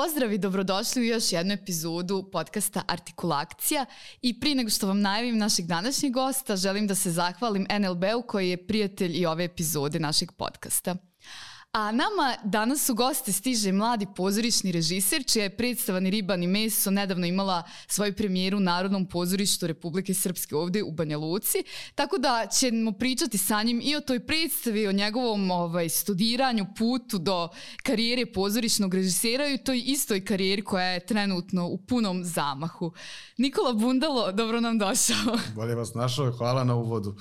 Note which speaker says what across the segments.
Speaker 1: Pozdrav i dobrodošli u još jednu epizodu podcasta Artikulakcija i prije nego što vam najavim našeg današnjeg gosta, želim da se zahvalim NLB-u koji je prijatelj i ove epizode našeg podcasta. A nama danas u goste stiže mladi pozorišni režiser, čija je predstava Ni riba ni meso nedavno imala svoju premijeru u Narodnom pozorištu Republike Srpske ovdje u Banja Luci, tako da ćemo pričati sa njim i o toj predstavi, o njegovom studiranju, putu do karijere pozorišnog režisera i o toj istoj karijeri koja je trenutno u punom zamahu. Nikola Bundalo, dobro nam došao.
Speaker 2: Bolje vas našao, hvala na uvodu.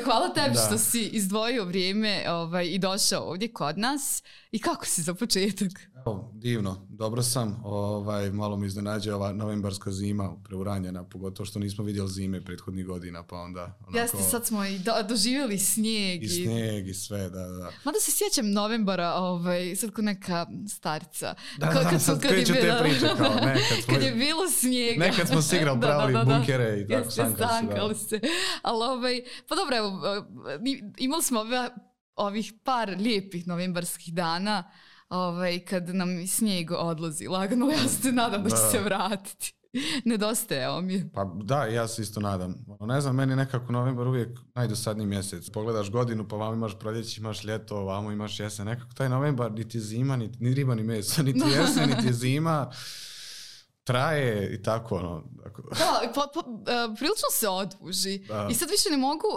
Speaker 1: Hvala tebi što si izdvojio vrijeme i došao ovdje kod nas. I kako si za početak?
Speaker 2: Divno, dobro sam. Malo me iznenađa ova novembarska zima preuranjena, pogotovo što nismo vidjeli zime prethodnih godina, pa onda...
Speaker 1: Jeste, sad smo i doživjeli snijeg.
Speaker 2: I snijeg i sve, da.
Speaker 1: Mada se sjećam novembara, sad ko neka starica.
Speaker 2: Sad kreću te priče kao nekad.
Speaker 1: Kad je bilo snijega.
Speaker 2: Nekad smo se igrali, pravili bunkere i tako,
Speaker 1: sankali se. Ali, pa dobro, evo, imali smo ovih par lijepih novembarskih dana kad nam snijeg odlazi lagano, ja se nadam da će se vratiti. Nedostajao mi je.
Speaker 2: Pa da, ja se isto nadam. Ne znam, meni nekako novembar uvijek najdosadniji mjesec. Pogledaš godinu, pa vamo imaš proljeće, imaš ljeto, vamo imaš jesen. Nekako taj novembar niti je zima, ni riba ni meso, niti jesen, niti je zima. Traje i tako,
Speaker 1: Da, prilično se oduži. I sad više ne mogu,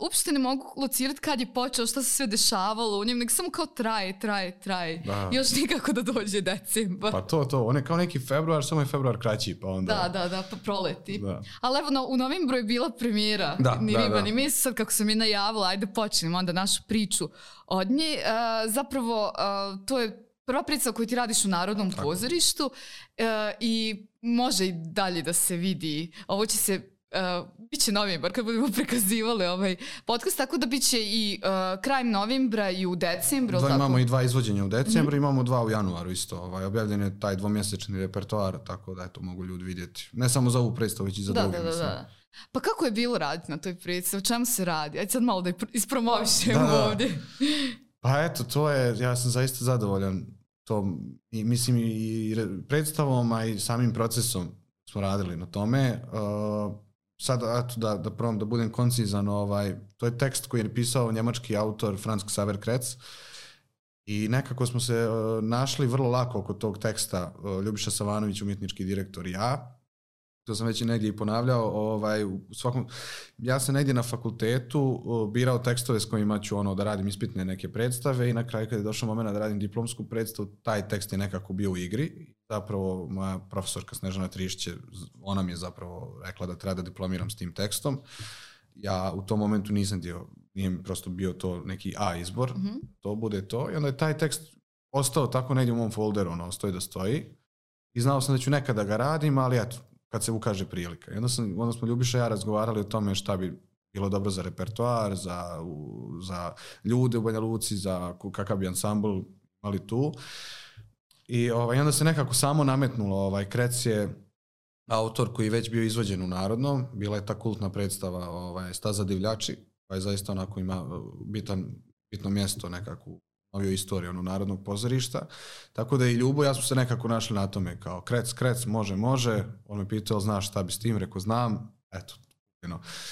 Speaker 1: uopšte ne mogu locirati kad je počeo, šta se sve dešavalo u njem, nego samo kao traje. Da. Još nikako da dođe decembar.
Speaker 2: Pa to, on je kao neki februar, samo je februar kraći, pa onda...
Speaker 1: Da, pa proleti. Da. Ali evo, u novembru je bila premijera Ni riba ni meso, sad kako sam je najavila, ajde počnemo onda našu priču od nje. Zapravo, to je prva predstava koju ti radiš u Narodnom pozorištu i može i dalje da se vidi. Ovo će se, bit će novembar kad budemo prikazivali ovaj podcast, tako da bit će i krajem novembra i u decembru.
Speaker 2: Imamo i 2 izvođenja u decembru, imamo 2 u januaru isto. Objavljen je taj 2-mjesečni repertoar, tako da to mogu ljudi vidjeti. Ne samo za ovu predstavu, već i za druge. Da.
Speaker 1: Pa kako je bilo raditi na toj predstavi? O čemu se radi? Ajde sad malo da ispromovišemo ovdje.
Speaker 2: Pa eto, to je, ja sam zaista zadovoljan tom, mislim i predstavom, a i samim procesom smo radili na tome. Sad, eto, da probam da budem koncizan, to je tekst koji je napisao njemački autor Franz Xaver Kretz i nekako smo se našli vrlo lako oko tog teksta, Ljubiša Savanović, umjetnički direktor i ja. To sam već i negdje i ponavljao, ja sam negdje na fakultetu birao tekstove s kojima ću da radim ispitne neke predstave i na kraju kad je došao moment da radim diplomsku predstavu, taj tekst je nekako bio u igri. Zapravo moja profesorka Snežana Trišće, ona mi je zapravo rekla da treba da diplomiram s tim tekstom. Ja u tom momentu nisam nije mi prosto bio to neki A izbor, to bude to. I onda je taj tekst ostao tako negdje u mom folderu, stoji da stoji. I znao sam da ću nekada ga radim, ali eto, kad se ukaže prilika. I onda smo Ljubiša i ja razgovarali o tome šta bi bilo dobro za repertoar, za ljude u Banja Luci, za kakav bi ansambl imali tu. I onda se nekako samo nametnulo. Krec je autor koji je već bio izvođen u Narodnom. Bila je ta kultna predstava Staza divljači, koja je zaista onako ima bitno mjesto nekakvu noviju istoriju Narodnog pozorišta. Tako da i Ljubo, ja smo se nekako našli na tome kao Krec, može. On me pitao, znaš šta bi s tim? Rekao, znam. Eto.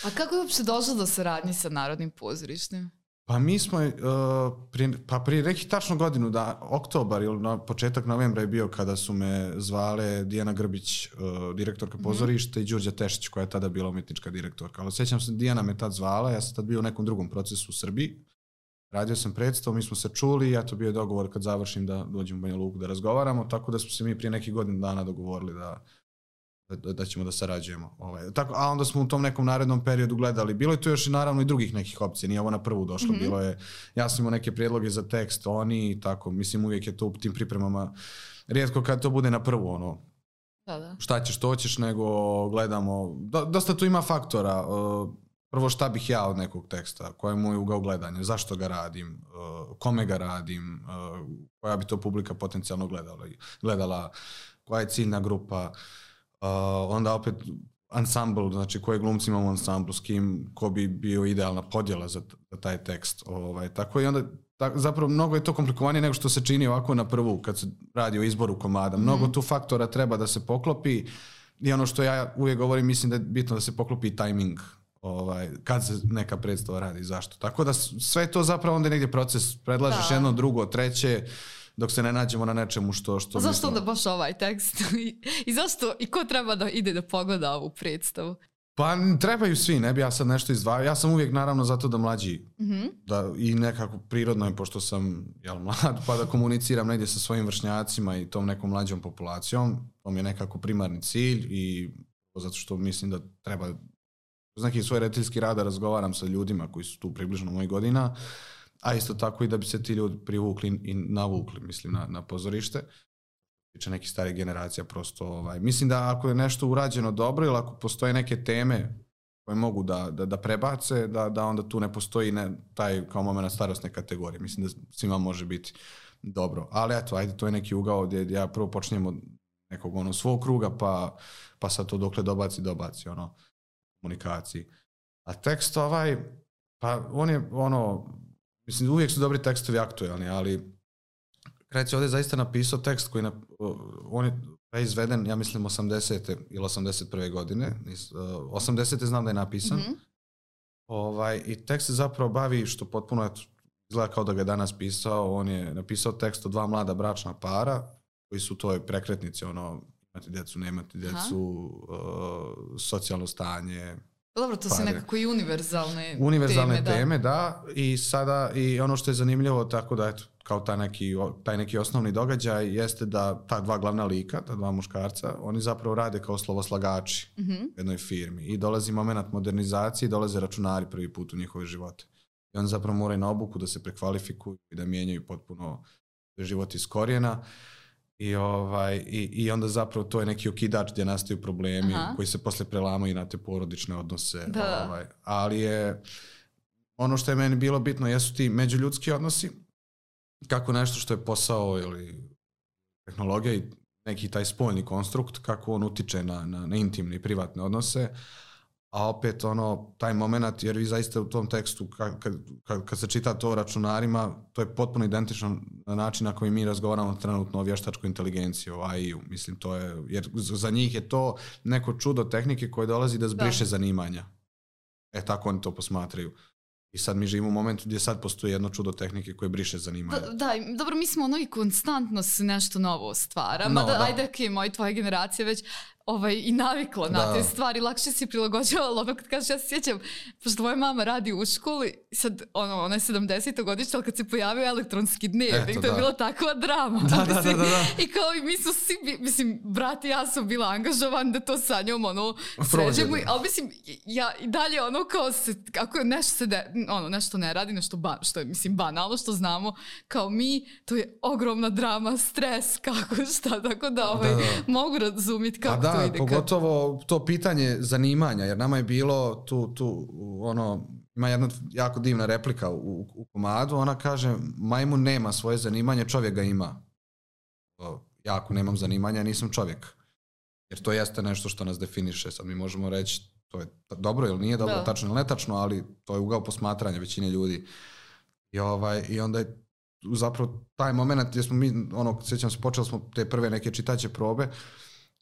Speaker 1: A kako je uopšte došlo do saradnje sa Narodnim pozorištem?
Speaker 2: Pa mi smo, prije nekih tačno godinu, oktobar ili na početak novembra je bio kada su me zvale Dijana Grbić, direktorka pozorišta, i Đurđa Tešić, koja je tada bila umjetnička direktorka. Ali sjećam se, Dijana me tad zvala, ja sam tad bio u nekom drugom procesu u Srbiji. Radio sam predstavu, mi smo se čuli i bio je dogovor kad završim da dođem u Banja Luku da razgovaramo, tako da smo se mi prije nekih godina dana dogovorili da ćemo da sarađujemo. A onda smo u tom nekom narednom periodu gledali. Bilo je tu još i naravno i drugih nekih opcija, nije ovo na prvu došlo. Bilo je, ja sam imao neke prijedloge za tekst, oni i tako, mislim uvijek je to u tim pripremama, rijetko kad to bude na prvu, šta ćeš, to ćeš, nego gledamo, dosta tu ima faktora. Prvo, šta bih ja od nekog teksta, koja je moj ugao gledanja, zašto ga radim, kome ga radim, koja bi to publika potencijalno gledala, koja je ciljna grupa, onda opet ansambl, znači koje glumci imamo u ansamblu, s kim, ko bi bio idealna podjela za taj tekst. Tako i onda zapravo mnogo je to komplikovanije nego što se čini ovako na prvu kad se radi o izboru komada. Mnogo tu faktora treba da se poklopi i ono što ja uvijek govorim, mislim da je bitno da se poklopi tajming kad se neka predstava radi i zašto. Tako da sve to zapravo onda je negdje proces, predlažeš jedno, drugo, treće, dok se ne nađemo na nečemu što
Speaker 1: a zašto onda baš ovaj tekst? I zašto, i ko treba da ide da pogleda ovu predstavu?
Speaker 2: Pa trebaju svi, ne bi ja sad nešto izdvajao. Ja sam uvijek naravno zato da mlađi i nekako prirodno je, pošto sam mlad, pa da komuniciram negdje sa svojim vršnjacima i tom nekom mlađom populacijom. To mi je nekako primarni cilj i zato što mislim da treba uz neki svoj rediteljski rad da razgovaram sa ljudima koji su tu približno mojih godina, a isto tako i da bi se ti ljudi privukli i navukli, mislim, na pozorište. Tiče nekih starih generacija prosto. Mislim da ako je nešto urađeno dobro ili ako postoje neke teme koje mogu da prebace, da onda tu ne postoji taj kao moment starosne kategorije. Mislim da svima može biti dobro. Ali eto, ajde, to je neki ugao gdje ja prvo počnem od nekog svog kruga, pa sad to dokle dobaci komunikaciji. A tekst pa on je mislim, uvijek su dobri tekstovi aktualni, ali Kreć je ovdje zaista napisao tekst koji on je izveden, ja mislim, 80. ili 81. godine. 80. znam da je napisan. I tekst se zapravo bavi, što potpuno izgleda kao da ga je danas pisao, on je napisao tekst o dva mlada bračna para, koji su u toj prekretnici, imati djecu, nemati djecu, socijalno stanje.
Speaker 1: Dobro, to su nekako i univerzalne
Speaker 2: teme, da. I sada, i ono što je zanimljivo, tako da, eto, kao taj neki osnovni događaj jeste da ta dva glavna lika, ta dva muškarca, oni zapravo rade kao slovoslagači u jednoj firmi. I dolazi moment modernizacije i dolaze računari prvi put u njihove živote. I oni zapravo moraju na obuku da se prekvalifikuju i da mijenjaju potpuno život iz korijena. I onda zapravo to je neki okidač gdje nastaju problemi koji se posle prelamaju na te porodične odnose. Ali je ono što je meni bilo bitno jesu ti međuljudski odnosi, kako nešto što je posao ili tehnologija i neki taj spoljni konstrukt, kako on utiče na intimne i privatne odnose. A opet taj moment, jer vi zaista u tom tekstu kad se čita to o računarima, to je potpuno identično na način na koji mi razgovaramo trenutno o vještačkoj inteligenciji, o AI-u. Mislim, to je, jer za njih je to neko čudo tehnike koje dolazi da zbriše zanimanja. Tako oni to posmatraju. I sad mi živimo u momentu gdje sad postoji jedno čudo tehnike koje briše zanimanja.
Speaker 1: Da, dobro, mi smo i konstantno se nešto novo stvara. Ajde, moja tvoja generacija već i navikla na te stvari, lakše si prilagođavala. Kad kažeš, ja se sjećam, pošto tvoja mama radi u školi, sad ona je 70. godišnja, ali kad se pojavio elektronski dnevnik, to je bila takva drama.
Speaker 2: Da.
Speaker 1: I kao i mi su svi, mislim, brat i ja sam bila angažovan da to sa njom sređemo, ali mislim, ja i dalje kao se, ako je nešto ne radi, što je, mislim, banalno, što znamo, kao mi, to je ogromna drama, stres, šta, tako da mogu razumjeti kako to ide.
Speaker 2: Pogotovo to pitanje zanimanja, jer nama je bilo ima jedna jako divna replika u komadu, ona kaže, majmun nema svoje zanimanje, čovjek ga ima. Ja ako nemam zanimanja, nisam čovjek. Jer to jeste nešto što nas definiše. Sad mi možemo reći, to je dobro ili nije dobro, tačno ili netačno, ali to je ugao posmatranja većine ljudi. I onda je zapravo taj moment gdje smo mi, sjećam se, počeli smo te prve neke čitaće probe,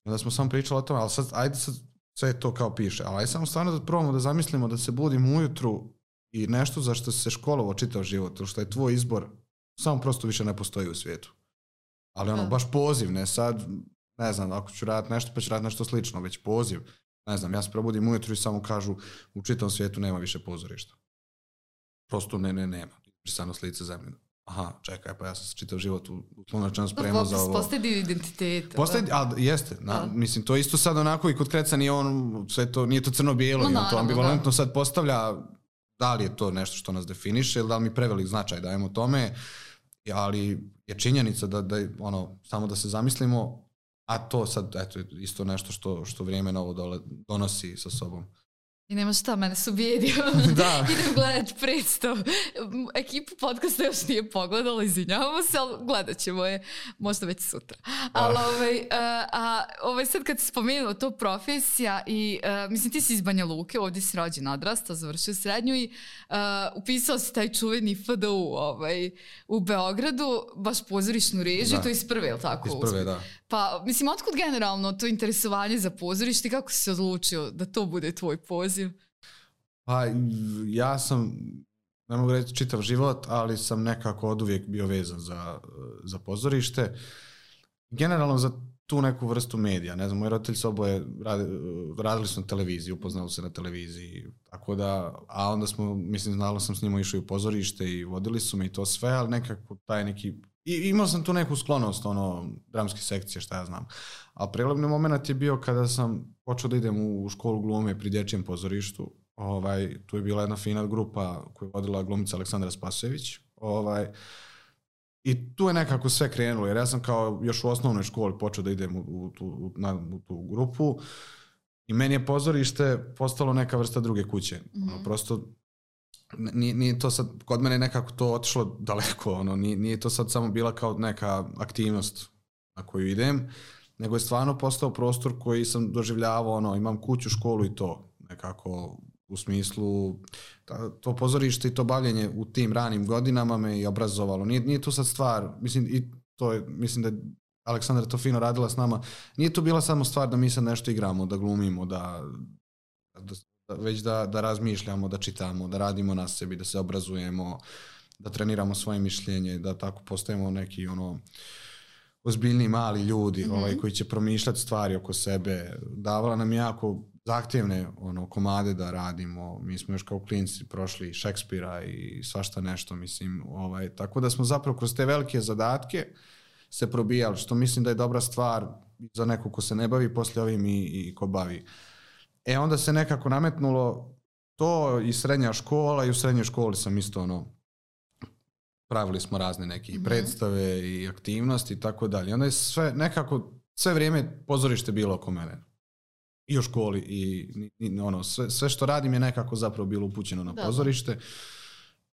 Speaker 2: onda smo samo pričali o tome, ali sad, ajde sad, sve to kao piše, ali ajde samo stvarno da probamo da zamislimo da se budimo ujutru i nešto za što se školovao čitav život, ili što je tvoj izbor, samo prosto više ne postoji u svijetu. Ali baš poziv, ne sad, ne znam, ako ću raditi nešto, pa ću raditi nešto slično, već poziv. Ne znam, ja se probudim ujutru i samo kažu, u čitavom svijetu nema više pozorišta. Prosto nema. Brisano s lice zemlje. Aha, čekaj, pa ja sam se čitav život u slunačnom spremao za ovo.
Speaker 1: Postoji dio identiteta.
Speaker 2: Ali jeste. Mislim, to isto sad onako i kod Kreca nije to crno-bijelo. On to ambivalentno sad postavlja da li je to nešto što nas definiše ili da li mi prevelik značaj dajemo tome. Ali je činjenica da samo da se zamislimo, a to sad, eto, isto nešto što vrijeme novo donosi sa sobom.
Speaker 1: I nema šta, mene su bijedio.
Speaker 2: Da.
Speaker 1: Idem gledat predstav. Ekipu podcasta još nije pogledala, izvinjavamo se, ali gledat ćemo je možda već sutra. Ali sad kad si spomenuo to profesija i mislim ti si iz Banja Luke, ovdje si rođen, odrastao, završio srednju i upisao si taj čuveni FDU u Beogradu, baš pozorišnu režiju, to je iz prve, je li tako?
Speaker 2: Iz prve, da.
Speaker 1: Pa, mislim, otkud generalno to interesovanje za pozorište i kako si se odlučio da to bude tvoj poziv?
Speaker 2: Pa, ja sam, ne mogu reći čitav život, ali sam nekako oduvijek bio vezan za pozorište. Generalno za tu neku vrstu medija. Ne znam, moji roditelji su oboje radili su na televiziji, upoznali se na televiziji. Tako da, a onda smo, mislim, znalo sam s njima išao i u pozorište i vodili su me i to sve, ali nekako taj neki... I imao sam tu neku sklonost, dramske sekcije, šta ja znam. A prelomni moment je bio kada sam počeo da idem u školu glume pri dječjem pozorištu. Tu je bila jedna fina grupa koju je vodila glumica Aleksandra Spasojević. I tu je nekako sve krenulo, jer ja sam kao još u osnovnoj školi počeo da idem u tu grupu i meni je pozorište postalo neka vrsta druge kuće. Prosto nije to sad, kod mene nekako to otišlo daleko, nije to sad samo bila kao neka aktivnost na koju idem, nego je stvarno postao prostor koji sam doživljavao, imam kuću, školu i to nekako u smislu to pozorište i to bavljenje u tim ranim godinama me i obrazovalo. Nije to sad stvar, mislim da je Aleksandra to fino radila s nama, nije to bila samo stvar da mi sad nešto igramo, da glumimo, već da razmišljamo, da čitamo, da radimo na sebi, da se obrazujemo, da treniramo svoje mišljenje, da tako postajemo neki ozbiljni mali ljudi koji će promišljati stvari oko sebe. Davala nam jako zahtjevne komade da radimo. Mi smo još kao klinci prošli Šekspira i svašta nešto, mislim. Tako da smo zapravo kroz te velike zadatke se probijali, što mislim da je dobra stvar za neko ko se ne bavi poslije ovim i ko bavi. Onda se nekako nametnulo to i srednja škola i u srednjoj školi sam isto pravili smo razne neke predstave i aktivnosti i tako dalje. Onda je sve vrijeme pozorište bilo oko mene. I u školi i sve što radim je nekako zapravo bilo upućeno na pozorište.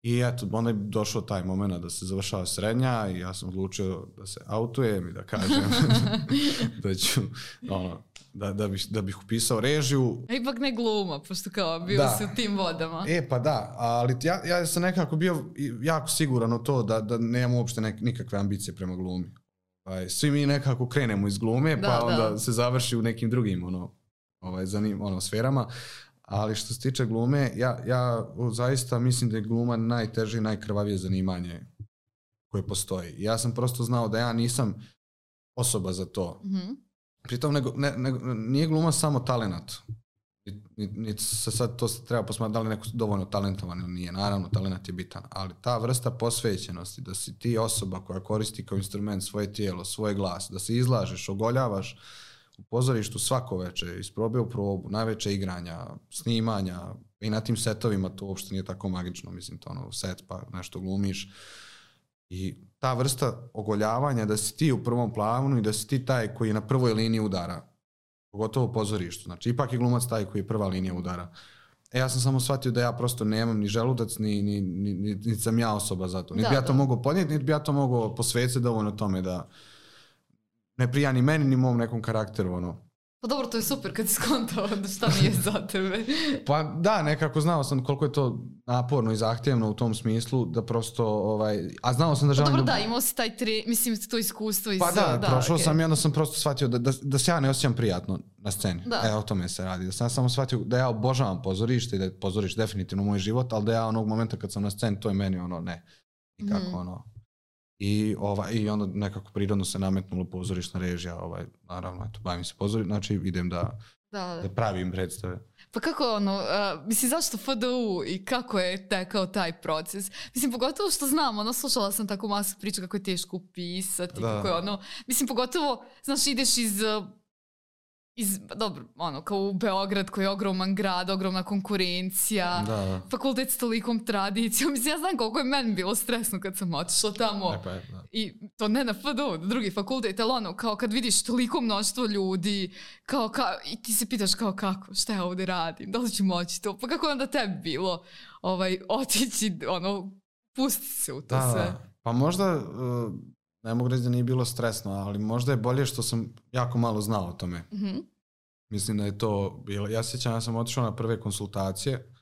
Speaker 2: I eto, onda je došao taj moment da se završava srednja i ja sam odlučio da se autujem i da kažem da ću, da bih upisao režiju.
Speaker 1: Ipak ne gluma, pošto kao bio si u tim vodama.
Speaker 2: Pa da, ali ja sam nekako bio jako siguran u to da nemam uopšte nikakve ambicije prema glumi. Svi mi nekako krenemo iz glume, pa onda se završi u nekim drugim sferama. Ali što se tiče glume, ja zaista mislim da je gluma najteže i najkrvavije zanimanje koje postoji. Ja sam prosto znao da ja nisam osoba za to. Pritom nije gluma samo talenat. Niti se sad to treba posmatrati da li neko dovoljno talentovan ili nije. Naravno, talent je bitan. Ali ta vrsta posvećenosti, da si ti osoba koja koristi kao instrument svoje tijelo, svoj glas, da se izlažeš, ogoljavaš u pozorištu svako večer, iz probe u probu, najveće igranja, snimanja i na tim setovima to uopšte nije tako magično, mislim to set pa nešto glumiš i ta vrsta ogoljavanja da si ti u prvom planu i da si ti taj koji je na prvoj liniji udara, pogotovo u pozorištu, znači ipak je glumac taj koji je prva linija udara. Ja sam samo shvatio da ja prosto nemam ni želudac, ni sam ja osoba za to. Niti bi ja to mogao podnijeti, niti bi ja to mogao posvetiti dovoljno tome da ne prija ni meni, ni mom nekom karakteru,
Speaker 1: Pa dobro, to je super kad si skontao da šta nije za tebe.
Speaker 2: Pa da, nekako znao sam koliko je to naporno i zahtjevno u tom smislu, da prosto, a znao sam da želim...
Speaker 1: Pa dobro, imao si to iskustvo iz...
Speaker 2: Pa da, prošao sam i onda sam prosto shvatio da se ja ne osjećam prijatno na sceni. O tome se radi. Da sam samo shvatio da ja obožavam pozorište i da je pozorište definitivno moj život, ali da ja onog momenta kad sam na sceni, to je meni ne. Nikako I onda nekako prirodno se nametnulo pozorišna režija, naravno, bavim se pozorištem, znači idem da pravim predstave.
Speaker 1: Pa kako mislim, zašto FDU i kako je tekao taj proces? Mislim, pogotovo što znam, slušala sam tako masu priča kako je teško upisati, kako je mislim, pogotovo, znaš, ideš iz dobro, kao u Beograd koji je ogroman grad, ogromna konkurencija, fakultet s tolikom tradicijom. Mislim, ja znam koliko je meni bilo stresno kad sam otišla tamo. I to ne na FDU, drugi fakultet, ali kao kad vidiš toliko mnoštvo ljudi, i ti se pitaš kako, šta ja ovdje radim, da li ću moći to, pa kako je onda tebi bilo otići, pustiti se u to sve.
Speaker 2: Pa možda... Ne mogu reći da nije bilo stresno, ali možda je bolje što sam jako malo znao o tome.
Speaker 1: Mm-hmm.
Speaker 2: Mislim da je to bilo... Ja sjećam, ja sam otišao na prve konsultacije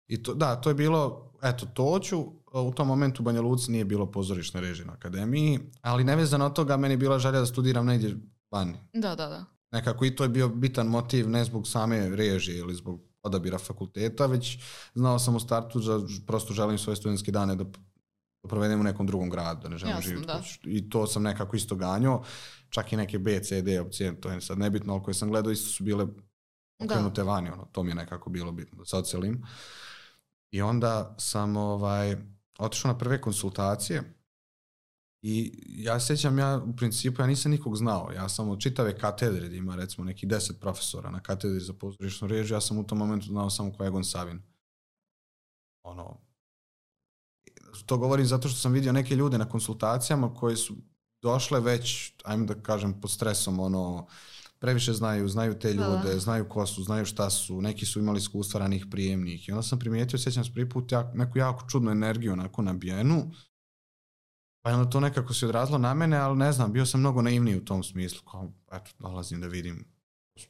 Speaker 2: i to je bilo, to ću, u tom momentu u Banja Luci nije bilo pozorišne režije na akademiji, ali nevezano od toga meni je bila želja da studiram negdje vani.
Speaker 1: Da.
Speaker 2: Nekako i to je bio bitan motiv, ne zbog same režije ili zbog odabira fakulteta, već znao sam u startu da prosto želim svoje studentske dane da provedem u nekom drugom gradu, da ne želim živjeti. I to sam nekako isto ganjao. Čak i neke B, C, D opcije, to je sad nebitno, ali koje sam gledao isto su bile okrenute vani. To mi je nekako bilo bitno, da se odselim. I onda sam otišao na prve konsultacije i ja sjećam, u principu ja nisam nikog znao. Ja sam od čitave katedre, gdje ima recimo neki 10 profesora na katedri za pozorišnu režiju, ja sam u tom momentu znao samo ko je Egon Savin. To govorim zato što sam vidio neke ljude na konsultacijama koji su došle već, ajmo da kažem, pod stresom, previše znaju te ljude, znaju ko su, znaju šta su, neki su imali iskustva ranih prijemnih. I onda sam primijetio, sjećam se prvi put neku jako čudnu energiju onako nabijenu, pa onda to nekako se odrazilo na mene, ali ne znam, bio sam mnogo naivniji u tom smislu, kao, dolazim da vidim,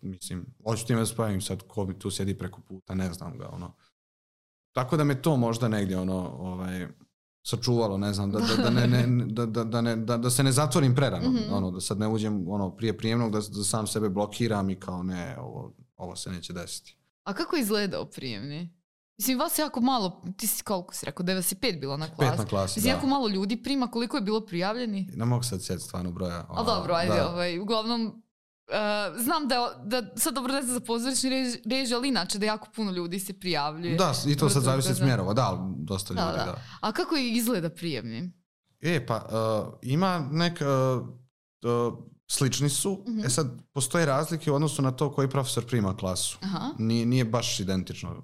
Speaker 2: mislim, hoću time da spavim sad, ko mi tu sjedi preko puta, ne znam ga, Tako da me to možda negdje, sačuvalo, ne znam, da se ne zatvorim prerano, mm-hmm. Da sad ne uđem prije prijemnog, da sam sebe blokiram i kao ne, ovo se neće desiti.
Speaker 1: A kako je izgledao prijemni? Mislim, vas jako malo, ti si koliko si rekao, 95 bilo na klasi.
Speaker 2: 5 na klasi,
Speaker 1: mislim, jako malo ljudi prima, koliko je bilo prijavljeni?
Speaker 2: Ne mogu sad sjetiti stvarno broja.
Speaker 1: Ali dobro, ajde, uglavnom, znam da sad dobro ne znam za pozorišni režiju, ali inače da jako puno ljudi se prijavljuje.
Speaker 2: Da, i to sad zavisi od smjerova, ali dosta ljudi, da.
Speaker 1: A kako izgleda prijemni?
Speaker 2: Ima slični su, mm-hmm. Sad postoje razlike u odnosu na to koji profesor prima klasu. Nije baš identično.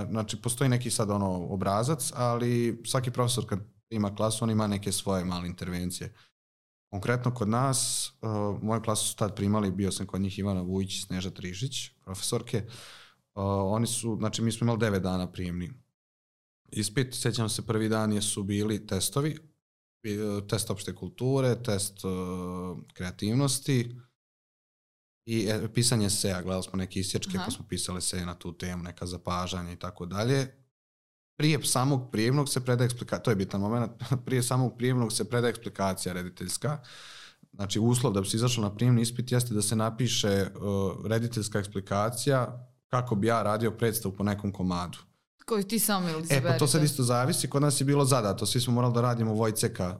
Speaker 2: Znači, postoji neki sad obrazac, ali svaki profesor kad ima klasu, on ima neke svoje male intervencije. Konkretno kod nas, moju klasu su tad primali, bio sam kod njih Ivana Vujić i Sneža Trižić, profesorke. Oni su, znači mi smo imali 9 dana prijemni. Ispit, sjećam se, prvi dan su bili testovi, test opšte kulture, test kreativnosti i pisanje eseja. Gledali smo neke isječke, pa smo pisali eseje na tu temu, neka zapažanja i tako dalje. Prije samog prijemnog se predaje eksplikacija, to je bitan moment, prije samog prijemnog se predaje eksplikacija rediteljska. Znači, uslov da bi se izašlo na prijemni ispit jeste da se napiše rediteljska eksplikacija kako bi ja radio predstavu po nekom komadu.
Speaker 1: Koju ti sam ili zaberete?
Speaker 2: Pa to sad isto zavisi, kod nas je bilo zadato, svi smo morali da radimo Vojceka,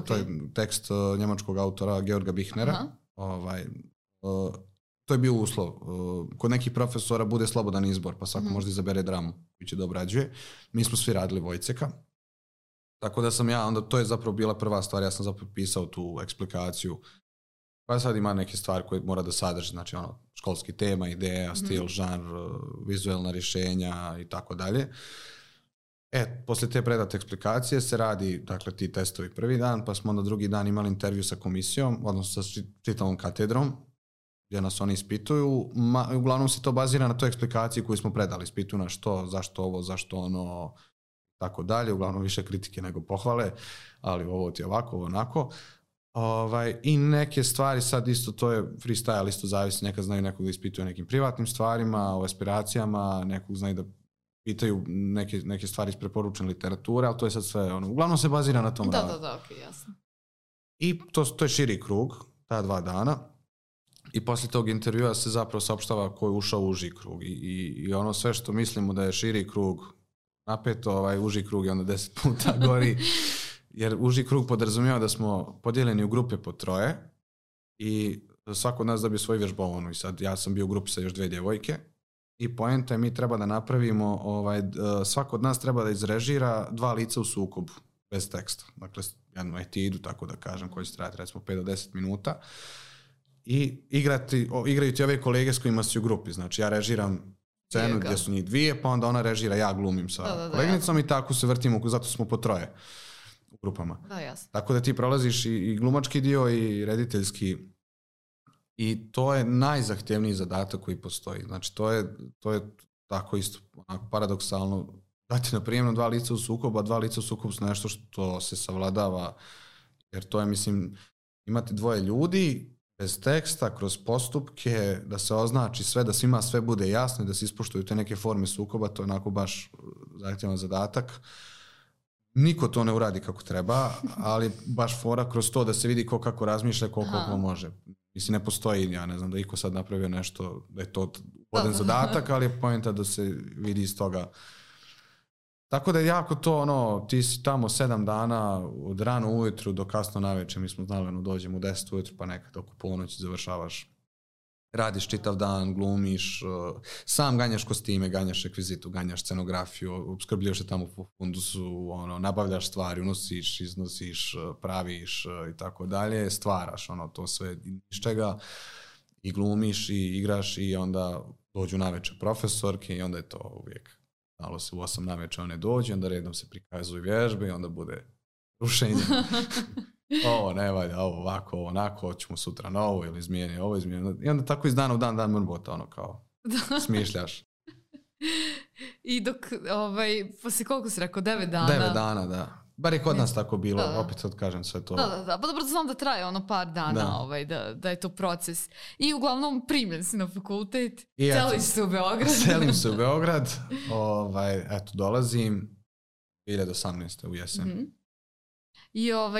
Speaker 2: to je tekst njemačkog autora Georga Bichnera. To je bio uslov. Kod nekih profesora bude slobodan izbor, pa svako možda izabere dramu koji će da obrađuje. Mi smo svi radili Vojceka. Tako da sam onda to je zapravo bila prva stvar, ja sam zapravo pisao tu eksplikaciju. Pa sad ima neke stvari koje mora da sadrži, znači školski tema, ideja, stil, žanr, vizuelna rješenja i tako dalje. Poslije te predate eksplikacije se radi, dakle, ti testovi prvi dan, pa smo onda drugi dan imali intervju sa komisijom, odnosno sa čitavom katedrom, gdje nas oni ispituju. Uglavnom se to bazira na toj eksplikaciji koju smo predali. Ispituju na što, zašto ovo, zašto ono, tako dalje. Uglavnom više kritike nego pohvale, ali ovo ti je ovako, ovo onako. I neke stvari, sad isto to je freestyle, isto zavisi, nekad znaju nekog da ispituje nekim privatnim stvarima, o aspiracijama, nekog znaju da pitaju neke stvari iz preporučene literature, ali to je sad sve, uglavnom se bazira na tom radu.
Speaker 1: Da, okej, jasno.
Speaker 2: I to je širi krug, ta 2 dana. I poslije tog intervjua se zapravo saopštava ko je ušao u uži krug. I ono sve što mislimo da je širi krug napeto, uži krug je onda 10 puta gori. Jer uži krug podrazumijeva da smo podijeljeni u grupe po 3 i svako od nas dobije svoju vježbovanu. I sad ja sam bio u grupi sa još 2 djevojke i poenta je mi treba da napravimo, svako od nas treba da izrežira 2 lica u sukobu, bez teksta. Dakle, jednu etidu, tako da kažem, koji će trajati recimo 5 do 10 minuta. i igraju ti ove kolege s kojima si u grupi. Znači ja režiram scenu gdje su njih dvije, pa onda ona režira, ja glumim sa koleginicom i tako se vrtimo, zato smo po troje u grupama.
Speaker 1: Da, jasno.
Speaker 2: Tako da ti prolaziš i glumački dio i rediteljski i to je najzahtjevniji zadatak koji postoji. Znači to je tako isto onako paradoksalno dati na prijemno dva lica u sukobu, a dva lica u sukobu su nešto što se savladava, jer to je, mislim, imati dvoje ljudi bez teksta, kroz postupke, da se označi sve, da svima sve bude jasno i da se ispoštuju te neke forme sukoba, to je onako baš zahtjevan zadatak. Niko to ne uradi kako treba, ali baš fora kroz to da se vidi ko kako razmišlja, koliko može. Mislim, ne postoji, ja ne znam da iko sad napravio nešto, da je to ugodan zadatak, ali je poenta da se vidi iz toga. Tako da je jako to, ti si tamo 7 dana, od rano ujutru do kasno navečer, mi smo znali, dođemo u 10 ujutru, pa nekad oko ponoći završavaš. Radiš čitav dan, glumiš, sam ganjaš kostime, ganjaš rekvizitu, ganjaš scenografiju, opskrbljuješ se tamo po fundusu, nabavljaš stvari, unosiš, iznosiš, praviš i tako dalje, stvaraš to sve iz čega i glumiš i igraš i onda dođu navečer profesorke i onda je to uvijek. Znalo se u 8 navečer one dođu, onda redom se prikazuju vježbe i onda bude rušenje. Ovo ne valja, ovo ovako, ovo onako, hoćemo sutra na ovo ili izmijeni ovo, izmijeni. I onda tako iz dana u dan mrbota, kao smišljaš.
Speaker 1: I dok, poslije koliko si rekao, 9 dana?
Speaker 2: 9 dana, da. Bar je kod nas tako bilo, opet sad kažem sve to.
Speaker 1: Da. Pa dobro, znam da traje par dana, da je to proces. I uglavnom primljen si na fakultet, celiš se u Beograd.
Speaker 2: Celim se u Beograd, eto, dolazim 2018. u jesen.
Speaker 1: Mm-hmm.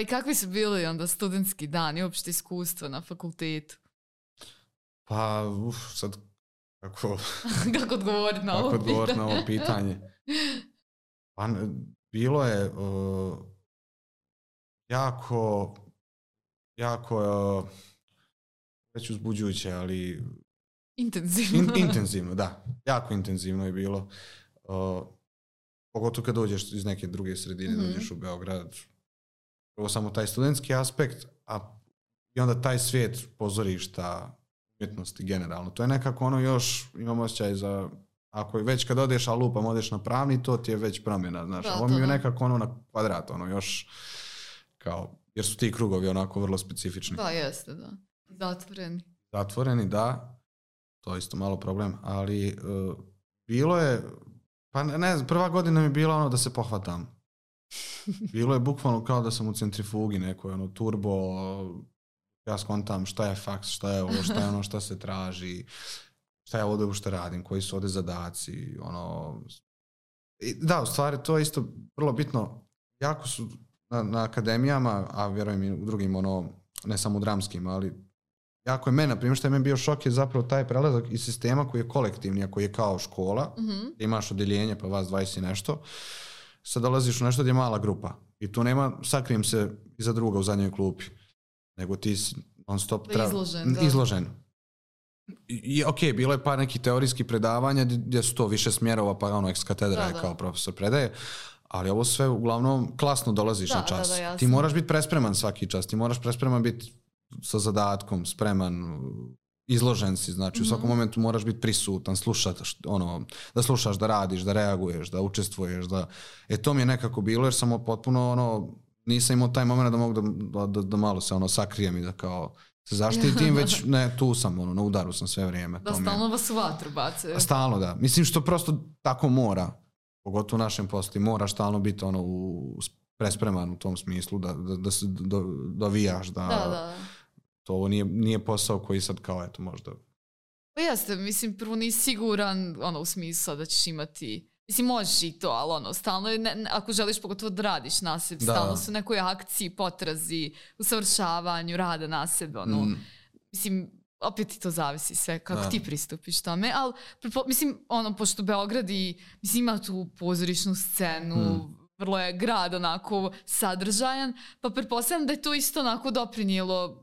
Speaker 1: I kakvi su bili onda studentski dani, uopšte iskustva na fakultetu?
Speaker 2: Pa, sad, kako
Speaker 1: odgovoriti na ovo
Speaker 2: pitanje? Pa, bilo je jako već uzbuđujuće, ali intenzivno, da. Jako intenzivno je bilo. Pogotovo kad dođeš iz neke druge sredine, dođeš u Beograd. Prvo samo taj studentski aspekt, i onda taj svijet pozorišta, umjetnosti generalno. To je nekako još, imam osjećaj za, ako već kad odeš, a lupam, odeš na pravni, to ti je već promjena, znaš. Ovo mi je nekako na kvadrat, još kao, jer su ti krugovi onako vrlo specifični.
Speaker 1: Da, jeste, da.
Speaker 2: Zatvoreni, da. To je isto malo problem, ali bilo je, pa ne znam, prva godina mi je bila da se pohvatam. Bilo je bukvalno kao da sam u centrifugi nekoj, turbo, ja skontam šta je faks, šta je ovo, šta je šta se traži, šta ja ovdje uopšte radim, koji su ovdje zadaci, Da, u stvari to je isto vrlo bitno, jako su na akademijama, a vjerujem i u drugim, ne samo u dramskim, ali jako je meni, na primjer, što je meni bio šok je zapravo taj prelazak iz sistema koji je kolektivni, a koji je kao škola, gdje imaš odjeljenje, pa vas 20 i nešto, sad dolaziš u nešto gdje je mala grupa i tu nema sakrijem se iza druga u zadnjoj klupi, nego ti si non stop izložen. I ok, bilo je par nekih teorijskih predavanja gdje su to više smjerova, pa ex katedra je kao profesor predaje, ali ovo sve uglavnom klasno dolaziš na čas. Ti moraš biti prespreman svaki čas, ti moraš prespreman biti sa zadatkom, spreman, izložen si, znači u svakom momentu moraš biti prisutan, da slušaš, da radiš, da reaguješ, da učestvuješ, to mi je nekako bilo jer sam potpuno nisam imao taj moment da mogu da malo se sakrijem i da kao se zaštitim, već ne, tu sam, na udaru sam sve vrijeme.
Speaker 1: Da, stalno vas u vatru bace.
Speaker 2: Stalno, da. Mislim što prosto tako mora, pogotovo u našem poslu, moraš stalno biti prespreman u tom smislu, da se dovijaš, da. To ovo nije posao koji sad kao, eto, možda...
Speaker 1: Pa jeste, mislim, prvo nisi siguran, u smislu da ćeš imati... Mislim, možeš i to, ali stalno je, ako želiš pogotovo da radiš na sebi, stalno su u nekoj akciji, potrazi, usavršavanju, rada na sebi, mislim, opet ti to zavisi sve, kako ti pristupiš tome, ali, mislim, pošto Beograd ima tu pozorišnu scenu, vrlo je grad onako sadržajan, pa pretpostavljam da je to isto onako doprinijelo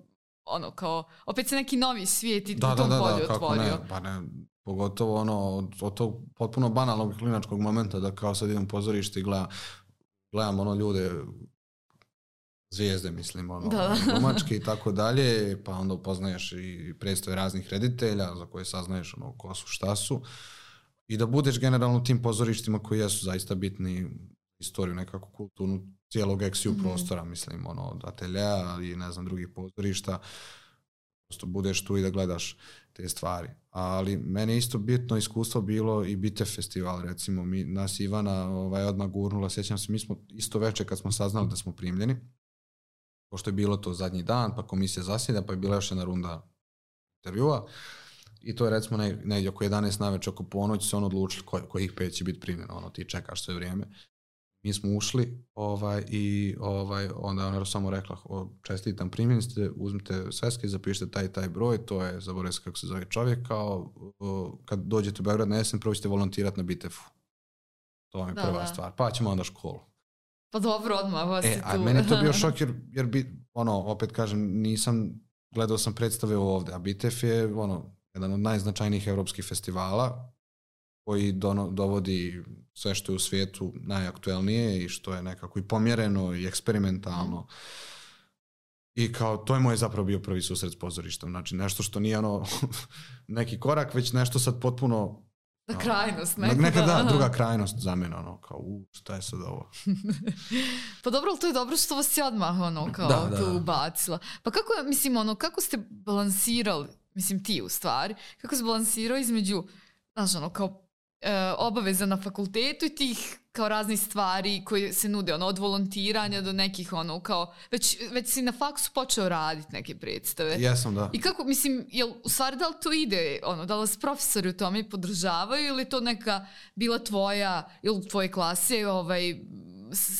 Speaker 1: kao, opet se neki novi svijet i u tom polju otvorio.
Speaker 2: Pa ne, pogotovo od tog potpuno banalnog klinačkog momenta da kao sad idem u pozorište i gledam ljude zvijezde, mislim, glumačke i tako dalje, pa onda upoznaješ i predstave raznih reditelja za koje saznaješ ko su, šta su, i da budeš generalno u tim pozorištima koji jesu zaista bitni, istoriju, nekako kulturnu, cijelog eksiju prostora, mislim, od ateljea i ne znam, drugih pozorišta, prosto budeš tu i da gledaš te stvari. Ali meni isto bitno iskustvo bilo i Bitev festival, recimo, nas Ivana odmah gurnula, sjećam se, mi smo isto večer kad smo saznali da smo primljeni, pošto je bilo to zadnji dan, pa komisija zasjeda, pa je bila još jedna runda intervjua, i to je recimo negdje oko 11 navečer, oko ponoći se odlučili kojih 5 će biti primljeno, ti čekaš sve vrijeme. Mi smo ušli i onda ona samo rekla, čestitam, primljeni ste, uzmite sveske, zapišite taj broj, to je, zaboravim se kako se zove čovjek, kao kad dođete u Beograd na jesen, prvo ćete volontirati na Bitefu. To vam je prva stvar, pa ćemo onda školu.
Speaker 1: Pa dobro, odmah vas je tu.
Speaker 2: A meni je to bio šok jer opet kažem, gledao sam predstave ovdje, a Bitef je jedan od najznačajnijih evropskih festivala koji dovodi sve što je u svijetu najaktuelnije i što je nekako i pomjereno i eksperimentalno. I kao, to je moj zapravo bio prvi susret s pozorištem. Znači, nešto što nije neki korak, već nešto sad potpuno...
Speaker 1: krajnost.
Speaker 2: Nekada druga krajnost za mene, kao, šta je sad ovo?
Speaker 1: Pa dobro, ali to je dobro što vas je odmah, tu ubacila. Pa kako, mislim, kako ste balansirali, mislim ti u stvari, kako se balansirao između, znaš, kao obaveza na fakultetu i tih kao raznih stvari koje se nude, od volontiranja do nekih, kao, već si na faksu počeo raditi neke predstave.
Speaker 2: Jesam, da.
Speaker 1: I kako, mislim, u stvari da li to ide, da li vas profesori u tome podržavaju ili to neka bila tvoja, ili tvoje klase,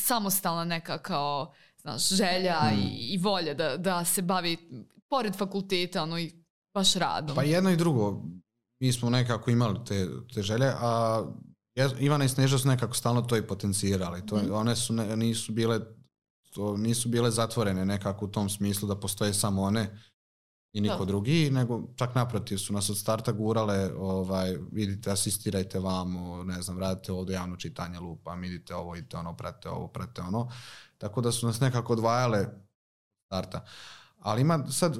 Speaker 1: samostalna neka kao, znaš, želja i volja da se bavi pored fakulteta, i baš radom?
Speaker 2: Pa jedno i drugo. Mi smo nekako imali te želje, a Ivana i Sneža su nekako stalno to i potencirali. One nisu bile zatvorene nekako u tom smislu da postoje samo one i niko drugi, nego čak naprotiv su nas od starta gurale, vidite, asistirajte vamo, ne znam, radite ovdje javno čitanje lupa, idite ovo, idite ono, pratite ono. Tako da su nas nekako odvajale od starta. Ali ima sad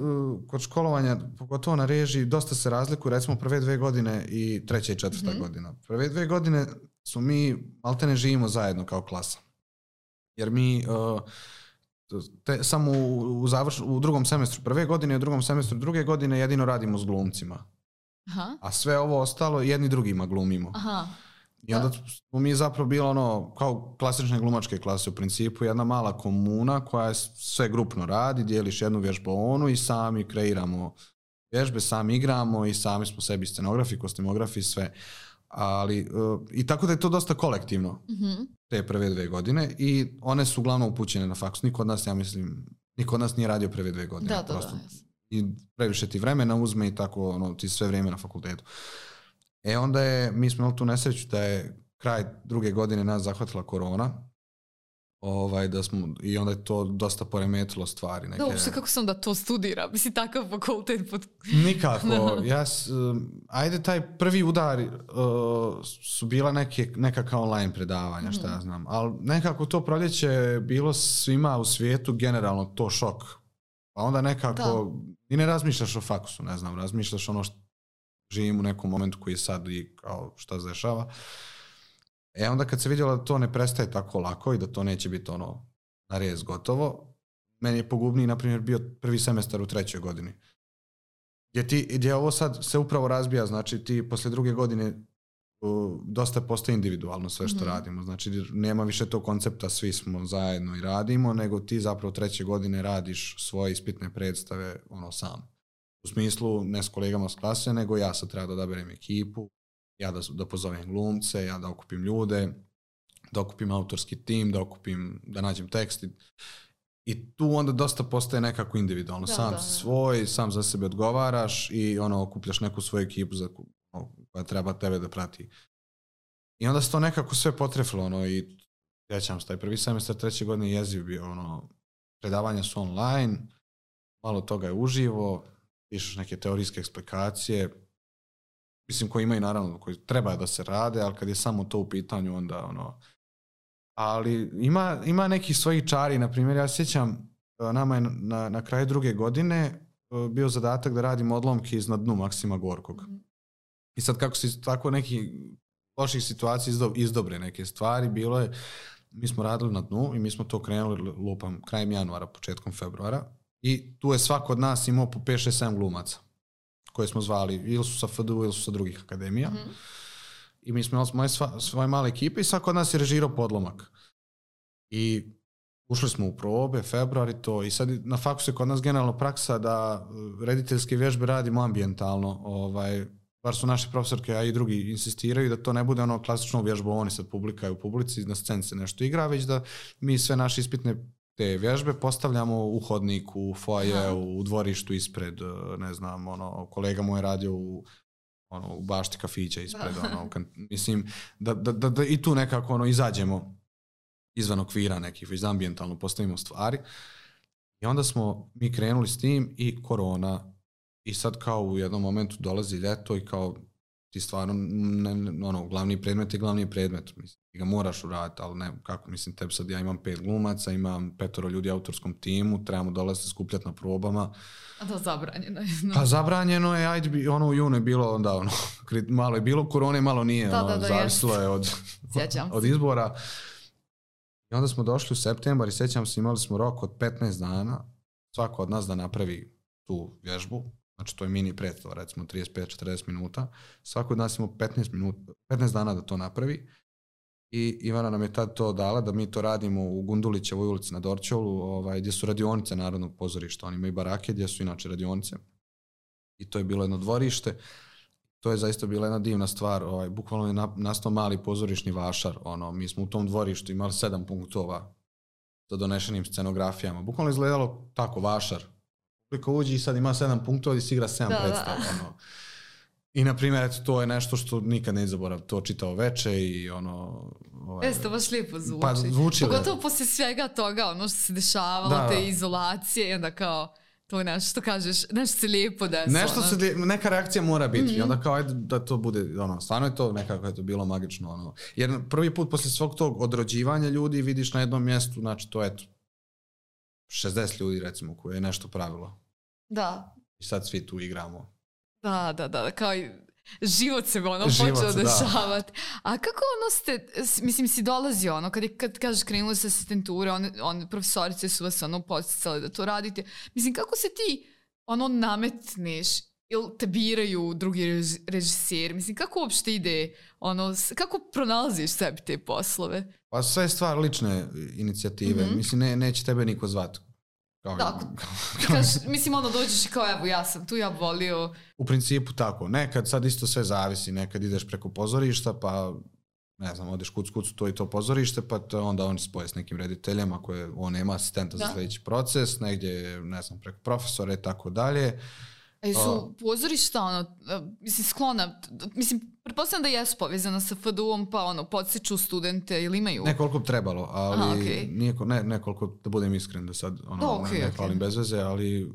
Speaker 2: kod školovanja, pogotovo na režiji, dosta se razlikuju, recimo prve 2 godine i 3. i 4. godina. Prve 2 godine smo mi, maltene živimo zajedno kao klasa. Jer mi samo u drugom semestru prve godine i u drugom semestru druge godine jedino radimo s glumcima. Aha. A sve ovo ostalo jedni drugima glumimo. Aha. I onda smo mi zapravo bilo kao klasične glumačke klase u principu, jedna mala komuna koja sve grupno radi, dijeliš jednu vježbu i sami kreiramo vježbe, sami igramo i sami smo sebi scenografi, kostimografi, sve. Ali, i tako da je to dosta kolektivno, te prve 2 godine, i one su uglavnom upućene na faks. Niko od nas nije radio prve 2 godine. Da. I previše ti vremena uzme i tako ti sve vrijeme na fakultetu. Onda mi smo imali tu nesreću da je kraj 2. godine nas zahvatila korona, i onda je to dosta poremetilo stvari.
Speaker 1: Da, uopšte kako sam da to studira? Mislim, takav fakultet.
Speaker 2: Nikako. Ajde, taj prvi udar su bila nekakva online predavanja, šta ja znam. Ali nekako to proljeće bilo svima u svijetu generalno to šok. Pa onda nekako i ne razmišljaš o faksu, ne znam, razmišljaš što živim u nekom momentu koji je sad i kao šta se dešava. Onda kad se vidjelo da to ne prestaje tako lako i da to neće biti na rez gotovo, meni je pogubniji, na primjer, bio prvi semestar u 3. godini. Gdje ovo sad se upravo razbija, znači ti posle 2. godine dosta postaje individualno sve što radimo. Znači nema više tog koncepta svi smo zajedno i radimo, nego ti zapravo 3. godine radiš svoje ispitne predstave sam. U smislu ne s kolegama s klase, nego ja sad treba da odaberem ekipu, ja da pozovem glumce, ja da okupim ljude, da okupim autorski tim, da nađem tekst. I tu onda dosta postaje nekako individualno. Sam za sebe odgovaraš i okupljaš neku svoju ekipu koja treba tebe da prati. I onda se to nekako sve potrefilo. I sjećam se, taj prvi semestar 3. godine jeziv bio. Predavanja su online, malo toga je uživo, pišeš neke teorijske eksplikacije, mislim koji imaju naravno, koji treba da se rade, ali kad je samo to u pitanju onda ali ima nekih svojih čari, na primjer ja sjećam nama je na kraju druge godine bio zadatak da radimo odlomke iznad dnu Maksima Gorkog. I sad kako se tako neki loših situacija izdobre neke stvari, bilo je, mi smo radili na dnu i mi smo to krenuli lupam krajem januara, početkom februara i tu je svako od nas imao po 5-6-7 glumaca koje smo zvali ili su sa FDU ili su sa drugih akademija. I mi smo imali svoje male ekipe i svako od nas je režirao podlomak. I ušli smo u probe, februar i to. I sad na faksu je kod nas generalno praksa da rediteljske vježbe radimo ambijentalno. Bar su naše profesorke, a i drugi insistiraju da to ne bude ono klasično vježbovanje, sad publika je u publici, na sceni se nešto igra, već da mi sve naše ispitne te vježbe postavljamo u hodniku, u foaje, u dvorištu ispred, ne znam, kolega mu je radio u bašti kafića ispred, mislim, da i tu nekako izađemo izvan okvira nekih, već ambijentalno postavimo stvari. I onda smo mi krenuli s tim i korona. I sad kao u jednom momentu dolazi ljeto i kao ti stvarno, glavni predmet je glavni predmet. Mislim, ti ga moraš uraditi, ali ne, kako, mislim, tebi sad ja imam 5 glumaca, imam 5 ljudi u autorskom timu, trebamo dolaziti skupljati na probama.
Speaker 1: A to zabranjeno je.
Speaker 2: Pa zabranjeno je, ajde, u junu je bilo onda, malo je bilo korone, malo nije, zavisilo je od izbora. I onda smo došli u septembar i sjećam se, imali smo rok od 15 dana, svako od nas da napravi tu vježbu. Znači to je mini predstava, recimo 35-40 minuta. Svako od nas ima 15 dana da to napravi. I Ivana nam je tad to dala da mi to radimo u Gundulićevoj ulici na Dorćolu, gdje su radionice Narodnog pozorišta. Oni imaju barake gdje su inače radionice. I to je bilo jedno dvorište. To je zaista bila jedna divna stvar. Bukvalno je nastao mali pozorišni vašar. Mi smo u tom dvorištu imali 7 punktova za donešenim scenografijama. Bukvalno izgledalo tako, vašar. Koliko uđi i sad ima 7 punktova i si igra 7 predstava. I na primjer, to je nešto što nikad ne zaborav, to čitao veče i
Speaker 1: to baš lijepo zvuči.
Speaker 2: Pa zvuči.
Speaker 1: Pogotovo poslije svega toga, što se dešavalo, te izolacije i onda kao to je nešto što kažeš, nešto se lijepo desilo.
Speaker 2: Neka reakcija mora biti i onda kao ajde da to bude, stvarno je to nekako je to bilo magično. Jer prvi put poslije svog tog odrođivanja ljudi vidiš na jednom mjestu, znači to eto, 60 ljudi recimo koje je nešto pravilo.
Speaker 1: Da.
Speaker 2: I sad svi tu igramo.
Speaker 1: Da, kao i život se počeo dešavati. A kako ste, mislim, si dolazi kad kažeš krenuli sa asistenture, profesorice su vas podsticale da to radite. Mislim, kako se ti nametneš ili te biraju drugi režiseri? Mislim, kako uopšte ide, kako pronalaziš sebi te poslove?
Speaker 2: Pa sve je stvar lične inicijative. Mislim, neće tebe niko zvati.
Speaker 1: Mislim, dođeš i kao, evo, ja sam tu, ja volio.
Speaker 2: U principu tako. Nekad sad isto sve zavisi. Nekad ideš preko pozorišta, pa ne znam, odeš kucu to i to pozorište, pa onda oni spoje s nekim rediteljama koje on nema asistenta za sljedeći proces, negdje, ne znam, preko profesora i tako dalje.
Speaker 1: A su pozorišta, mislim, sklona, mislim, pretpostavljam da jesu povezana sa FDU-om, pa podsjeću studente ili imaju?
Speaker 2: Nekoliko bi trebalo, ali nekoliko, da budem iskren da sad ne hvalim bez veze, ali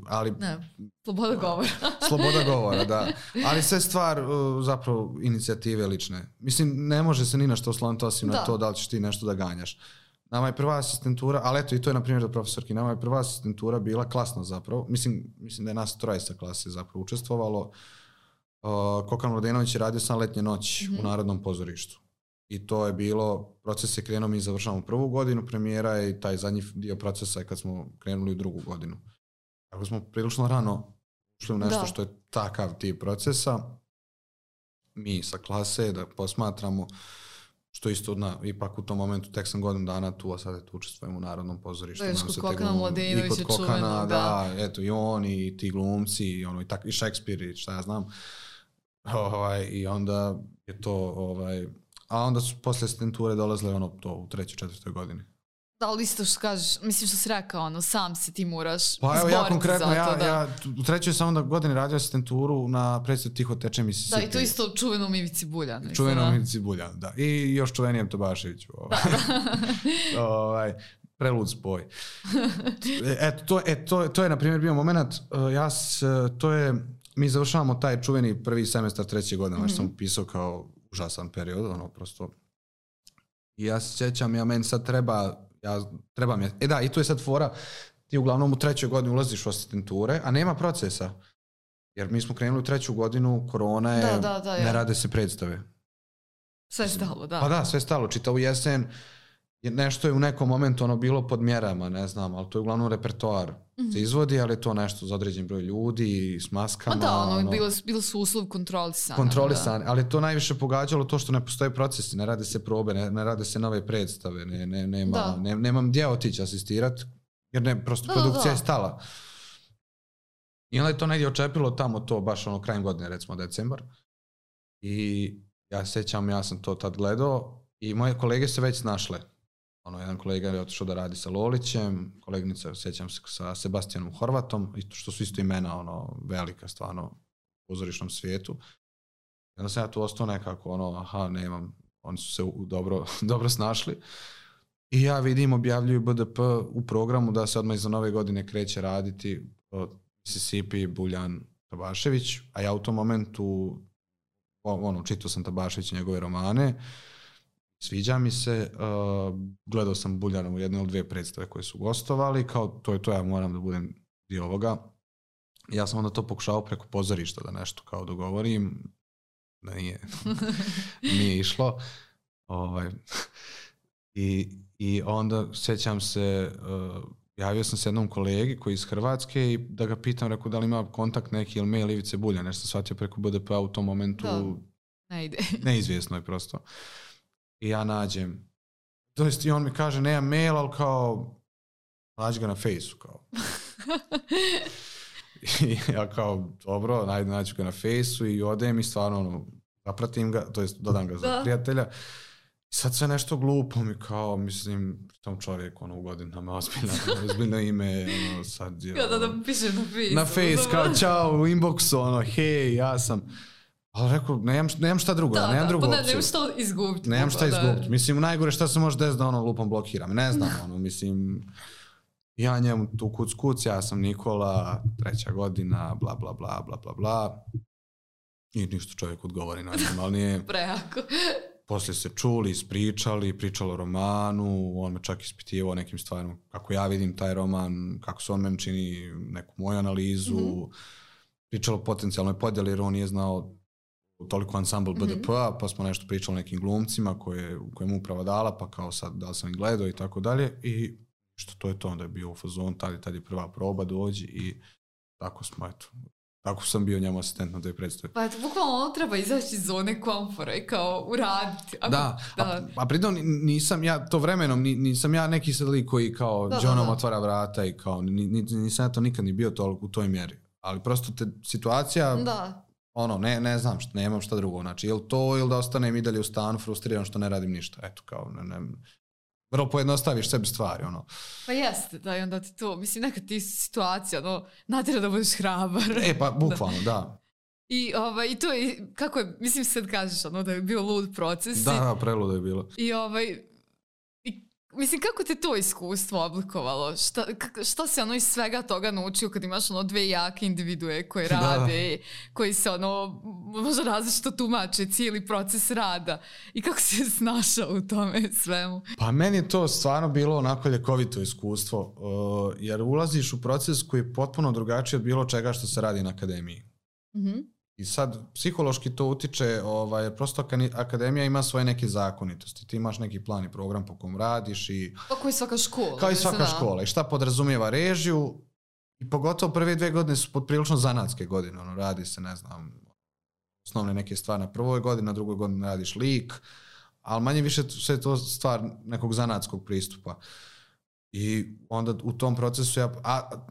Speaker 1: sloboda govora.
Speaker 2: Sloboda govora, da. Ali sve stvar zapravo inicijative lične. Mislim, ne može se ni na što osloniti osim na to da li ćeš ti nešto da ganjaš. Nama je prva asistentura, ali eto i to je na primjer do profesorki, nama je prva asistentura bila klasna zapravo, mislim da je nas 3 sa klase zapravo učestvovalo. Kokan Mladenović je radio sam letnje noći u Narodnom pozorištu. I to je bilo, proces je krenuo, mi završavamo 1. godinu premijera i taj zadnji dio procesa je kad smo krenuli u 2. godinu. Tako smo prilično rano ušli u nešto što je takav tip procesa. Mi sa klase da posmatramo, što isto ipak u tom momentu tek sam godinu dana tu, a sad tu učestvujem u Narodnom pozorištu.
Speaker 1: Da, kod Kokana Mladenović je čuveno.
Speaker 2: Da, eto i on i ti glumci i Šekspir i šta ja znam. I onda je to, a onda su posle asistenture dolazile to u 3. 4. godini.
Speaker 1: Da, ali isto što kažeš, mislim što si rekao, sam se ti moraš
Speaker 2: izboriti za to. Pa evo ja konkretno, ja u 3. sam onda godini radio asistenturu na predstavu Tiho teče Mississippi.
Speaker 1: Da, i to isto čuvenom Ivici Buljanu.
Speaker 2: Čuvenom Ivici Buljanu, da. I još čuvenijem Tobaševiću. Prelud spoj. To je na primjer bio moment, mi završavamo taj čuveni prvi semestar 3. godine, što sam upisao kao užasan period, prosto. I ja se sjećam, meni sad treba mi je. Da, i tu je sad fora, ti uglavnom u 3. godini ulaziš u asistenture, a nema procesa. Jer mi smo krenuli u 3. godinu, korona je, ne rade se predstave.
Speaker 1: Sve stalo, da.
Speaker 2: Pa da, sve stalo. Čitavu jesen, nešto je u nekom momentu bilo pod mjerama, ne znam, ali to je uglavnom repertoar. Se izvodi, ali je to nešto za određen broj ljudi, s maskama.
Speaker 1: Da, bilo su uslov kontrolisani.
Speaker 2: Kontrolisani, ali to najviše pogađalo to što ne postoje procesi, ne rade se probe, ne rade se nove predstave, nemam gdje otići asistirati, jer prosto produkcija je stala. I onda je to negdje očepilo tamo to, baš krajem godine, recimo decembar. I ja sećam, ja sam to tad gledao i moje kolege se već snašle. Jedan kolega je otišao da radi sa Lolićem, koleginica, sećam se, sa Sebastianom Horvatom, što su isto imena, velika stvarno u pozorišnom svijetu. I onda sam ja tu ostao nekako, nemam, oni su se dobro snašli. I ja vidim, objavljuju BDP u programu da se odmah iza nove godine kreće raditi Mississippi, Buljan, Tabašević, a ja u tom momentu čitao sam Tabašević i njegove romane, sviđa mi se, gledao sam Buljanovu 1 ili 2 predstave koje su gostovali, kao to je to, ja moram da budem dio ovoga. Ja sam onda to pokušao preko pozorišta da nešto kao dogovorim, da nije išlo. I onda sećam se, javio sam se jednom kolegi koji je iz Hrvatske i da ga pitam, rekao da li ima kontakt neki ili mail Ivice Bulja, nešto sam shvatio preko BDP-a u tom momentu.
Speaker 1: Ne ide.
Speaker 2: Neizvjesno je prosto. I ja nađem. To jest i on mi kaže, nema mail, ali kao, nađi ga na Fejsu, kao. I ja kao, dobro, nađu ga na Fejsu i odem i stvarno, zapratim ga, to jest dodam ga za prijatelja. I sad sve nešto glupo mi kao, mislim, tom čovjek, u godinama, ozbiljno ime, sad je...
Speaker 1: Kada da piše na Fejsu.
Speaker 2: Na Fejs, kao, čao, u inboxu, hej, ja sam... Ali rekao, nemam šta drugo, nemam drugu opciju.
Speaker 1: Nemam šta izgubiti.
Speaker 2: Nemam šta izgubiti. Mislim, najgore šta se može desiti da lupom blokiram. Ne znam, mislim, ja njemu tu kuc, ja sam Nikola, 3. godina, bla, bla, bla, bla, bla, bla. I ništa čovjek odgovori najnormalnije.
Speaker 1: Prejako.
Speaker 2: Poslije se čuli, pričalo o romanu, on me čak ispitivao nekim stvarima, kako ja vidim taj roman, kako se on meni čini neku moju analizu, pričalo o potencijalnoj podjeli, jer on nije znao toliko ansambl BDP-a, pa smo nešto pričali o nekim glumcima koje mu uprava dala, pa kao sad da li sam ih gledao i tako dalje. I što to je to, onda je bio u fazonu, tad je prva proba, dođi i tako smo, eto. Tako sam bio njemu asistent na toj predstavi.
Speaker 1: Pa eto, bukvalno treba izaći iz zone komfora i kao uraditi.
Speaker 2: A pritom nisam ja, to vremenom, nisam ja neki sad lik koji kao Johnom otvara vrata i kao, nisam ja to nikad ni bio toliko u toj mjeri. Ali prosto te situacija... ne znam, nemam šta drugo, znači ili to ili da ostanem i dalje u stanu frustriran što ne radim ništa, eto kao, vrlo pojednostaviš sebi stvari,
Speaker 1: Pa jeste, da, i onda ti to, mislim, neka ti situacija, natjera da budeš hrabar.
Speaker 2: Pa, bukvalno, da.
Speaker 1: I to je, kako je, mislim sad kažeš, da je bio lud proces.
Speaker 2: Da, preludo je bilo.
Speaker 1: I mislim, kako te to iskustvo oblikovalo? Šta se iz svega toga naučio kad imaš 2 jake individue koje rade, koji se možda različito tumače cijeli proces rada i kako si se snašao u tome svemu?
Speaker 2: Pa meni je to stvarno bilo onako ljekovito iskustvo, jer ulaziš u proces koji je potpuno drugačiji od bilo čega što se radi na akademiji. I sad psihološki to utiče, jer prosto akademija ima svoje neke zakonitosti. Ti imaš neki plan i program po kom radiš i...
Speaker 1: Pa kao i svaka škola.
Speaker 2: Kao i svaka škola. I šta podrazumijeva režiju. I pogotovo prve 2 godine su prilično zanatske godine. Radi se, ne znam, osnovne neke stvari na prvoj godini, na drugoj godini radiš lik. Ali manje više sve je to stvar nekog zanatskog pristupa. I onda u tom procesu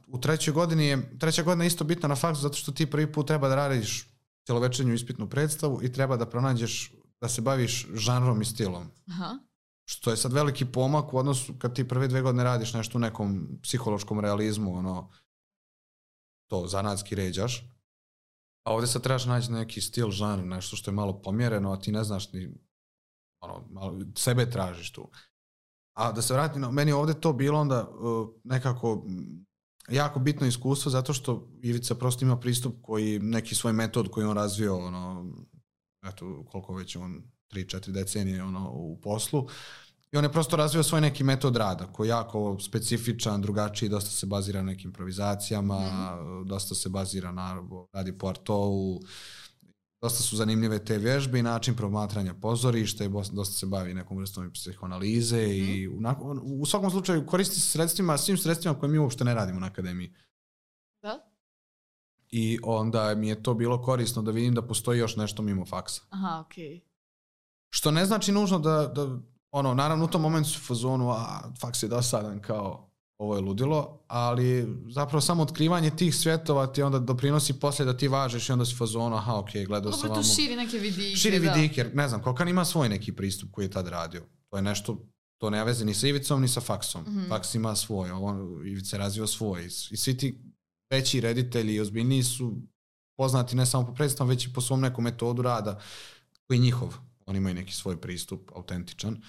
Speaker 2: u 3. godini je, 3. godina je isto bitna na faksu zato što ti prvi put treba da radiš cjelovečernju ispitnu predstavu i treba da pronađeš, da se baviš žanrom i stilom. Što je sad veliki pomak u odnosu kad ti prve 2 godine radiš nešto u nekom psihološkom realizmu, to zanatski ređaš. A ovdje sad trebaš naći neki stil, žanr, nešto što je malo pomjereno, a ti ne znaš ni, malo sebe tražiš tu. A da se vratim, meni ovdje to bilo onda nekako jako bitno iskustvo zato što Ivica prosto ima pristup koji, neki svoj metod koji on razvio, eto koliko već on 3-4 decenije u poslu I on je prosto razvio svoj neki metod rada koji je jako specifičan, drugačiji, dosta se bazira na nekim improvizacijama, dosta se bazira na radi po artovu, dosta su zanimljive te vježbe i način promatranja pozorišta i dosta se bavi nekom vrstom psihoanalize i u svakom slučaju koristi se sredstvima, svim sredstvima koje mi uopšte ne radimo na akademiji.
Speaker 1: Da?
Speaker 2: I onda mi je to bilo korisno da vidim da postoji još nešto mimo faksa.
Speaker 1: Aha, okej.
Speaker 2: Što ne znači nužno da naravno u tom momentu su u fazonu, faks je dosadan, kao ovo je ludilo, ali zapravo samo otkrivanje tih svjetova ti onda doprinosi poslije da ti važeš i onda si u fazonu, gledao sam
Speaker 1: vam. To širi neke vidike.
Speaker 2: Širi vidike, jer ne znam, Kokan ima svoj neki pristup koji je tad radio. To je nešto, to nema veze ni sa Ivicom, ni sa faksom. Faks ima svoj, Ivica je razvio svoj. I svi ti veći reditelji i ozbiljniji su poznati ne samo po predstavom, već i po svom nekom metodu rada koji je njihov. Oni imaju neki svoj pristup, autentičan.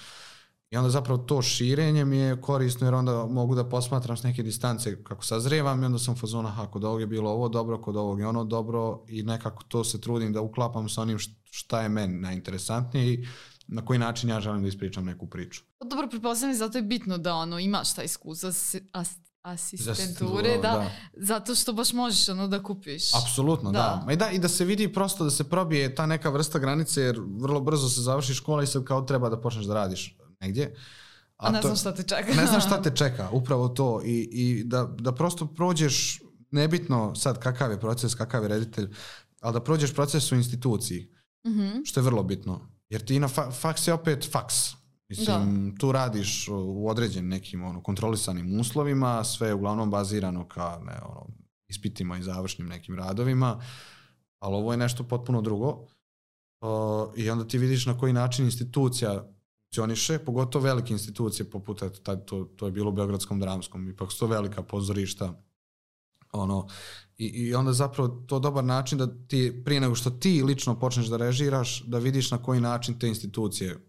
Speaker 2: I onda zapravo to širenje mi je korisno jer onda mogu da posmatram s neke distance kako sazrijevam i onda sam u fazonu, kod ovog je bilo ovo dobro, kod ovog je ono dobro i nekako to se trudim da uklapam sa onim šta je meni najinteresantnije i na koji način ja želim da ispričam neku priču.
Speaker 1: Dobro, pretpostavljam, zato je bitno da imaš taj iskustvo asistenture, da, zato što baš možeš da kupiš.
Speaker 2: Apsolutno, da. I da se vidi prosto, da se probije ta neka vrsta granice, jer vrlo brzo se završi škola i sad kao treba da počneš da radiš negdje.
Speaker 1: A ne znam šta te čeka.
Speaker 2: Ne znam šta te čeka, upravo to. I da prosto prođeš, nebitno sad kakav je proces, kakav je reditelj, ali da prođeš proces u instituciji, što je vrlo bitno. Jer ti na faks je opet faks. Mislim, tu radiš u određenim nekim kontrolisanim uslovima, sve je uglavnom bazirano ka ispitima i završnim nekim radovima, ali ovo je nešto potpuno drugo. I onda ti vidiš na koji način institucija funkcioniše, pogotovo velike institucije poput, to je bilo u Beogradskom dramskom, ipak su to velika pozorišta. I onda zapravo to je dobar način da ti, prije nego što ti lično počneš da režiraš, da vidiš na koji način te institucije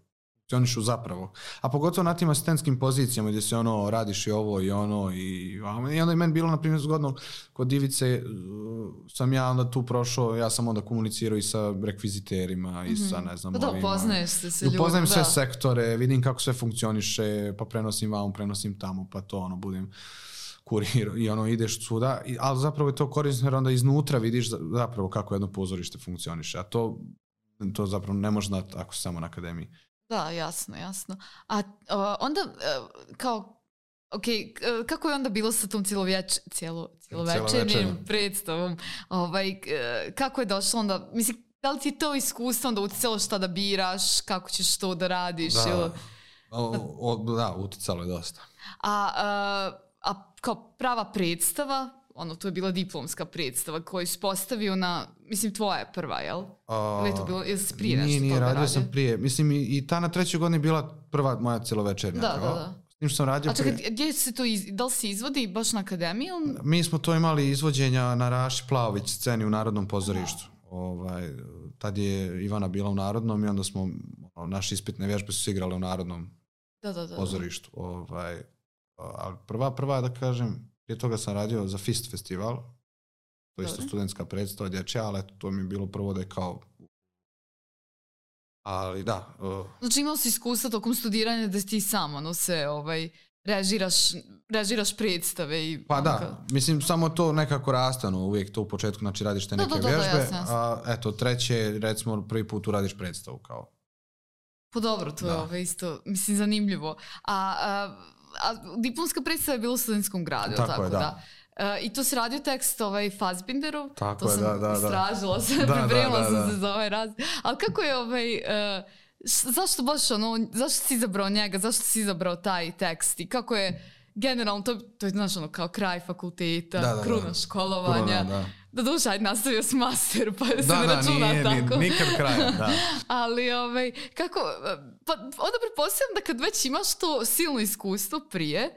Speaker 2: funkcionišu zapravo. A pogotovo na tim asistentskim pozicijama gdje se radiš i ovo i ono i onda je meni bilo, na primjer, zgodno kod Ivice sam ja onda tu prošao, ja sam onda komunicirao i sa rekviziterima i sa, ne znam, ovima.
Speaker 1: Upoznaješ se sa ljudima.
Speaker 2: Upoznajem sve sektore, vidim kako sve funkcioniše, pa prenosim vam, prenosim tamo, pa to budem kurir i ideš svuda, ali zapravo je to korisno jer onda iznutra vidiš zapravo kako jedno pozorište funkcioniše, a to zapravo ne može znati ako si samo na akademiji.
Speaker 1: Da, jasno. A onda, kako je onda bilo sa tom cijelovečernjim predstavom? Kako je došlo onda, mislim, da li ti je to iskustvo onda uticalo šta da biraš, kako ćeš to da radiš?
Speaker 2: Da, uticalo je dosta.
Speaker 1: A kao prava predstava, to je bila diplomska predstava koju si postavio na, mislim, tvoja je prva, jel? Ili je to bilo, jel si prije nešto
Speaker 2: toga radio? Sam prije. Mislim, i ta na 3. godini bila prva moja cjelovečernja.
Speaker 1: Da.
Speaker 2: S tim što sam radio...
Speaker 1: A čekaj, gdje se to, da li se izvodi baš na akademiju?
Speaker 2: Mi smo to imali izvođenja na Raši Plavović sceni u Narodnom pozorištu. Tad je Ivana bila u Narodnom i onda smo, naše ispitne vježbe su igrale u Narodnom pozorištu. Ali prva, da kažem, prije toga sam radio za FIST festival, to je isto studentska predstava dječja, ali to mi je bilo prvo da je kao... Ali da...
Speaker 1: Znači imao si iskustva tokom studiranja da ti samo se režiraš predstave i...
Speaker 2: Pa da, mislim samo to nekako raste, uvijek to u početku, znači radiš te neke vježbe,
Speaker 1: jasno.
Speaker 2: A eto, treće, recimo prvi put uradiš predstavu kao...
Speaker 1: Pa dobro, to je isto, mislim, zanimljivo. A diplomska predstava je bila u Studentskom gradu, tako da. I to si radio tekst Fassbinderov, to sam istražila, pripremila sam se za ovaj razred. Ali kako je zašto baš zašto si izabrao njega, zašto si izabrao taj tekst i kako je generalno, to je znaš kao kraj fakulteta, kruna školovanja. Da duša, ajde nastavio s master, pa se ne računa tako.
Speaker 2: Nikad kraja, da.
Speaker 1: Ali, kako, pa onda pretpostavljam da kad već imaš to silno iskustvo prije,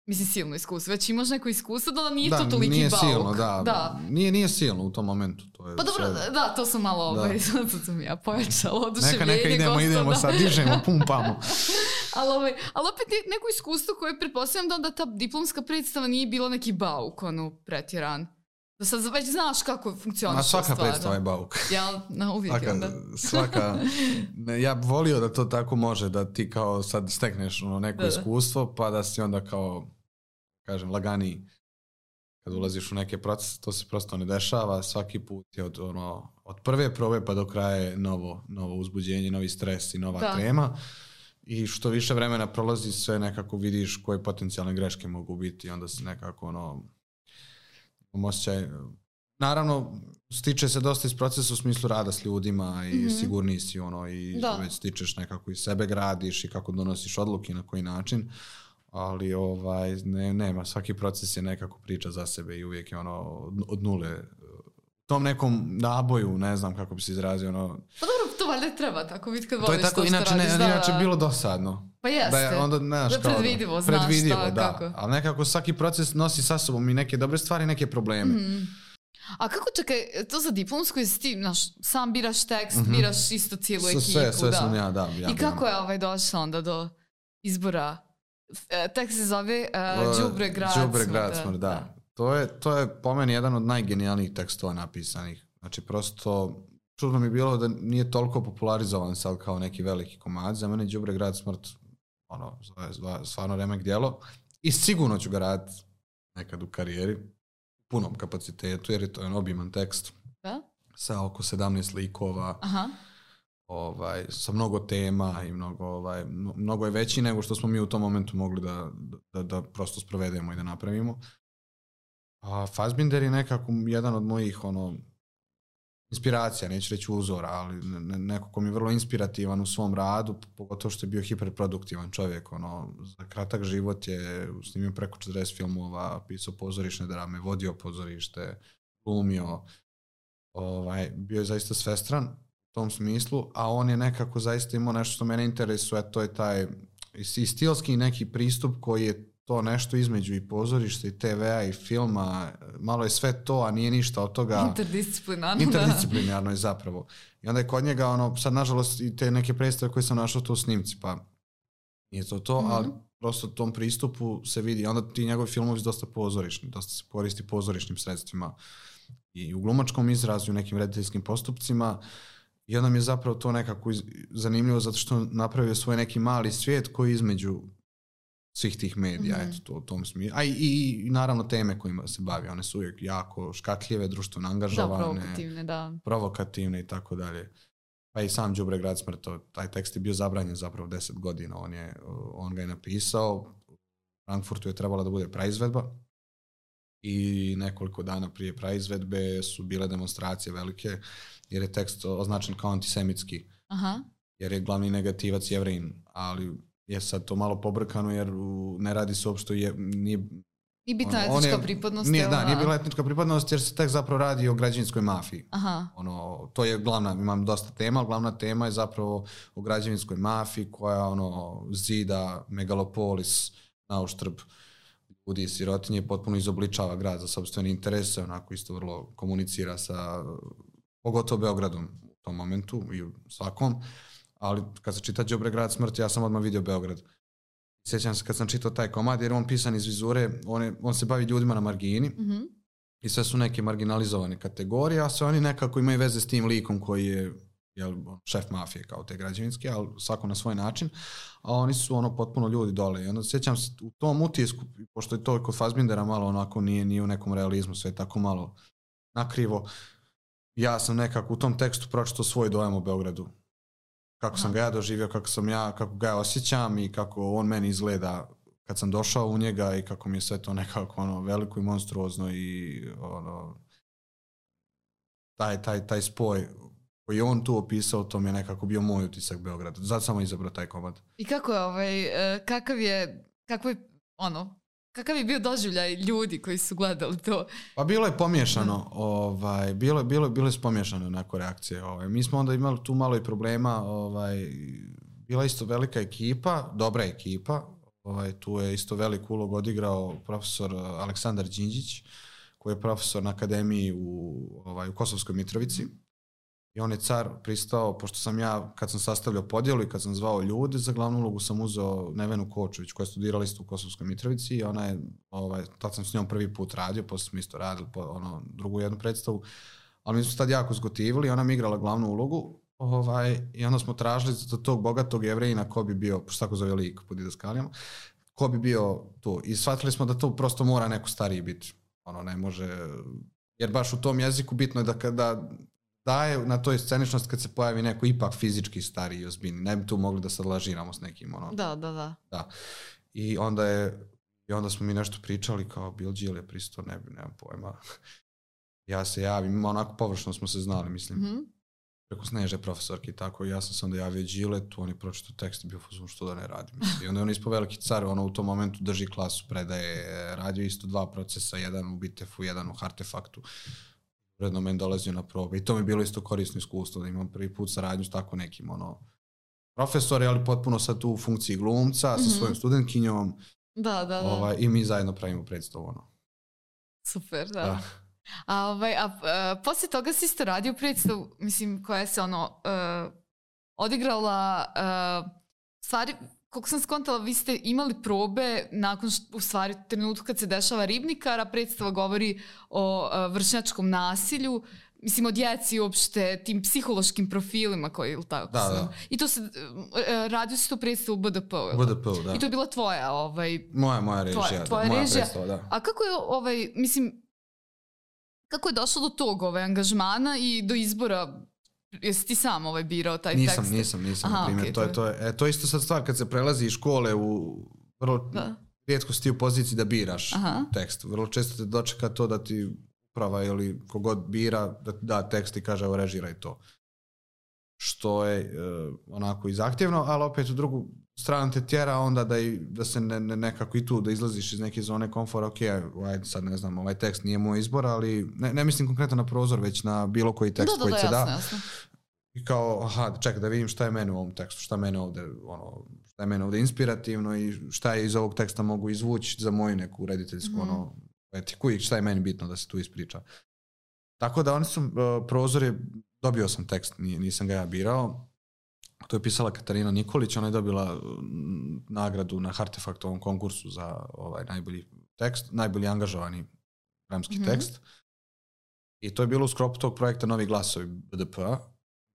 Speaker 1: mislim silno iskustvo, već imaš neko iskustvo, da nije to toliki bauk.
Speaker 2: Nije silno, da. Nije silno u tom momentu. To je
Speaker 1: pa dobro, da, to sam malo, sad sam ja pojačala oduševljenje.
Speaker 2: Neka idemo sad, dižemo, pumpamo.
Speaker 1: Ali opet neko iskustvo koje pretpostavljam da onda ta diplomska predstava nije bila neki bauk, pretjeran. Da sad već znaš kako funkcioniše.
Speaker 2: Ma svaka predstava je bauk.
Speaker 1: Jel? No, uvijek onda.
Speaker 2: Svaka, ja bih volio da to tako može, da ti kao sad stekneš neko iskustvo, pa da si onda kao, kažem, laganiji. Kad ulaziš u neke procese, to se prosto ne dešava. Svaki put je od prve probe pa do kraja je novo uzbuđenje, novi stres i nova tema. I što više vremena prolazi, sve nekako vidiš koje potencijalne greške mogu biti. Onda se nekako osjećaj. Naravno, stiče se dosta iz procesa u smislu rada s ljudima i sigurniji si i već stičeš nekako i sebe gradiš i kako donosiš odluke na koji način. Ali nema, svaki proces je nekako priča za sebe i uvijek je od nule. U tom nekom naboju, ne znam kako bi se izrazio.
Speaker 1: Pa dobro, to valjda treba tako vidjeti kad voliš
Speaker 2: to što radiš. To je tako, inače bilo dosadno.
Speaker 1: Pa jeste,
Speaker 2: da je
Speaker 1: predvidivo, znaš šta, kako.
Speaker 2: Ali nekako svaki proces nosi sa sobom i neke dobre stvari i neke probleme.
Speaker 1: A kako, čekaj, to za diplomsku je ti, sam biraš tekst, biraš isto cijelu ekipu.
Speaker 2: Sve sam ja.
Speaker 1: I kako je došlo onda do izbora? Tekst se zove Đubre grad smrt,
Speaker 2: da. To je po meni jedan od najgenijalnijih tekstova napisanih. Znači prosto čudno mi je bilo da nije toliko popularizovan sad kao neki veliki komad. Za mene Đubre grad smrt stvarno remek djelo i sigurno ću ga raditi nekad u karijeri u punom kapacitetu jer je to jedan obiman tekst sa oko 17 likova. Sa mnogo tema i mnogo je veći nego što smo mi u tom momentu mogli da prosto sprovedemo i da napravimo. A Fassbinder je nekako jedan od mojih inspiracija, neću reći uzora, ali neko ko mi je vrlo inspirativan u svom radu, pogotovo što je bio hiperproduktivan čovjek. Za kratak život je snimio preko 40 filmova, pisao pozorišne drame, vodio pozorište, glumio. Bio je zaista svestran u tom smislu, a on je nekako zaista imao nešto što mene interesuje, to je taj i stilski neki pristup koji je to nešto između i pozorišta i TV-a i filma, malo je sve to, a nije ništa od toga. Interdisciplinarno je zapravo. I onda je kod njega, sad nažalost i te neke predstave koje sam našao to u snimci, pa nije to, ali prosto tom pristupu se vidi. Onda ti njegovi filmovi su dosta pozorišni, dosta se koristi pozorišnim sredstvima i u glumačkom izrazu, u nekim rediteljskim postupcima. I onda mi je zapravo to nekako zanimljivo zato što napravio svoj neki mali svijet koji između svih tih medija, eto, u tom smislu. A i naravno teme kojima se bavi, one su uvijek jako škakljive, društveno angažovane, provokativne i tako dalje. Pa i sam Đubre grad smrt, taj tekst je bio zabranjen zapravo 10 godina, on ga je napisao, u Frankfurtu je trebala da bude praizvedba i nekoliko dana prije praizvedbe su bile demonstracije velike, jer je tekst označen kao antisemitski, jer je glavni negativac Jevrejin, ali je sad to malo pobrkano jer ne radi se uopšte nije
Speaker 1: bitna etnička pripadnost.
Speaker 2: Nije bila etnička pripadnost jer se tek zapravo radi o građevinskoj mafiji. To je glavna, imam dosta tema, ali glavna tema je zapravo o građevinskoj mafiji koja zida megalopolis na uštrb ljudi i sirotinje, potpuno izobličava grad za sopstvene interese, onako isto vrlo komunicira sa pogotovo Beogradom u tom momentu i u svakom. Ali kad se čita Đubre grad smrt, ja sam odmah vidio Beograd. Sjećam se kad sam čitao taj komad, jer on pisan iz vizure, on se bavi ljudima na margini i sve su neke marginalizovane kategorije, a sve oni nekako imaju veze s tim likom koji je šef mafije kao te građevinske, ali svako na svoj način, a oni su potpuno ljudi dole. I onda sjećam se u tom utisku, pošto je to kod Fassbindera malo onako nije u nekom realizmu, sve je tako malo nakrivo, ja sam nekako u tom tekstu pročitao svoj dojam o Beogradu. Kako sam ga ja doživio, kako ga ja osjećam i kako on meni izgleda kad sam došao u njega i kako mi je sve to nekako veliko i monstruozno i taj spoj koji je on tu opisao, to mi je nekako bio moj utisak Beograda. Zato sam izabrao taj komad.
Speaker 1: I kako je, kakav je bio doživljaj ljudi koji su gledali to?
Speaker 2: Pa bilo je pomiješano, bilo je pomiješano onako reakcije. Mi smo onda imali tu malo i problema, bila isto velika ekipa, dobra ekipa, tu je isto veliku ulogu odigrao profesor Aleksandar Đinđić, koji je profesor na akademiji u Kosovskoj Mitrovici. I on je car pristao, pošto sam ja, kad sam sastavljao podjelu i kad sam zvao ljude, za glavnu ulogu sam uzeo Nevenu Kočović, koja je studirala isto u Kosovskoj Mitrovici i ona je, tad sam s njom prvi put radio, posle smo isto radili drugu jednu predstavu, ali mi smo tad jako zgotivili, ona mi igrala glavnu ulogu i onda smo tražili za tog bogatog Jevrejina ko bi bio, pošto tako zove lik po didaskalijama, ko bi bio tu. I shvatili smo da to prosto mora neko stariji biti. Ne može, jer baš u tom jeziku bitno je da kada daje na toj sceničnost kad se pojavi neko ipak fizički stariji i ozbiljni. Ne bi tu mogli da sad lažiramo s nekim.
Speaker 1: Da.
Speaker 2: I onda smo mi nešto pričali kao Bill Gill je pristao, nemam pojma. Ja se javim, onako površno smo se znali, mislim. Preko Sneže profesorki i tako. Ja sam se onda javio Giletu, on je pročitao tekst i bio fuzon što da ne radim. I onda je on ispao veliki car, u tom momentu drži klasu, predaje, radio isto 2 procesa, jedan u Bitefu, jedan u Artefaktu. Uredno meni dolazio na probe i to mi je bilo isto korisno iskustvo da imam prvi put saradnju s tako nekim profesori, ali potpuno sad tu u funkciji glumca sa svojom studentkinjom.
Speaker 1: Da.
Speaker 2: I mi zajedno pravimo predstavu.
Speaker 1: Super, da. A poslije toga si isto radio predstavu, mislim, koja se odigrala, stvari, koliko sam skontala, vi ste imali probe nakon u stvari trenutku kad se dešava Ribnikar, a predstava govori o vršnjačkom nasilju, mislim o djeci uopšte, tim psihološkim profilima koji, ili tako?
Speaker 2: Da.
Speaker 1: I to se, radio si to predstavu u BDP-u?
Speaker 2: BDP-u, da.
Speaker 1: I to je bila tvoja,
Speaker 2: Moja režija,
Speaker 1: tvoja
Speaker 2: moja
Speaker 1: režija.
Speaker 2: predstava, da.
Speaker 1: A kako je, mislim, kako je došlo do tog angažmana i do izbora? Jesi ti sam birao taj tekst?
Speaker 2: Nisam, na primjer. To je isto sad stvar kad se prelazi iz škole u vrlo rijetko si ti u poziciji da biraš tekst. Vrlo često te dočeka to da ti uprava ili kogod bira da da tekst i kaže evo režiraj to. Što je onako i zahtjevno, ali opet u drugu stranu te tjera onda da se nekako i tu da izlaziš iz neke zone komfora, ok, sad ne znam, ovaj tekst nije moj izbor, ali ne mislim konkretno na prozor, već na bilo koji tekst koji se da.
Speaker 1: Jasno.
Speaker 2: I kao, čekaj da vidim šta je meni u ovom tekstu, šta je mene ovdje inspirativno i šta je iz ovog teksta mogu izvući za moju neku rediteljsku etiku i šta je meni bitno da se tu ispriča. Tako da oni su, prozor je, dobio sam tekst, nisam ga ja birao. To je pisala Katarina Nikolić, ona je dobila nagradu na Artefaktovom konkursu za najbolji tekst, najbolji angažovani dramski tekst. I to je bilo u sklopu tog projekta Novi glasovi BDP-a,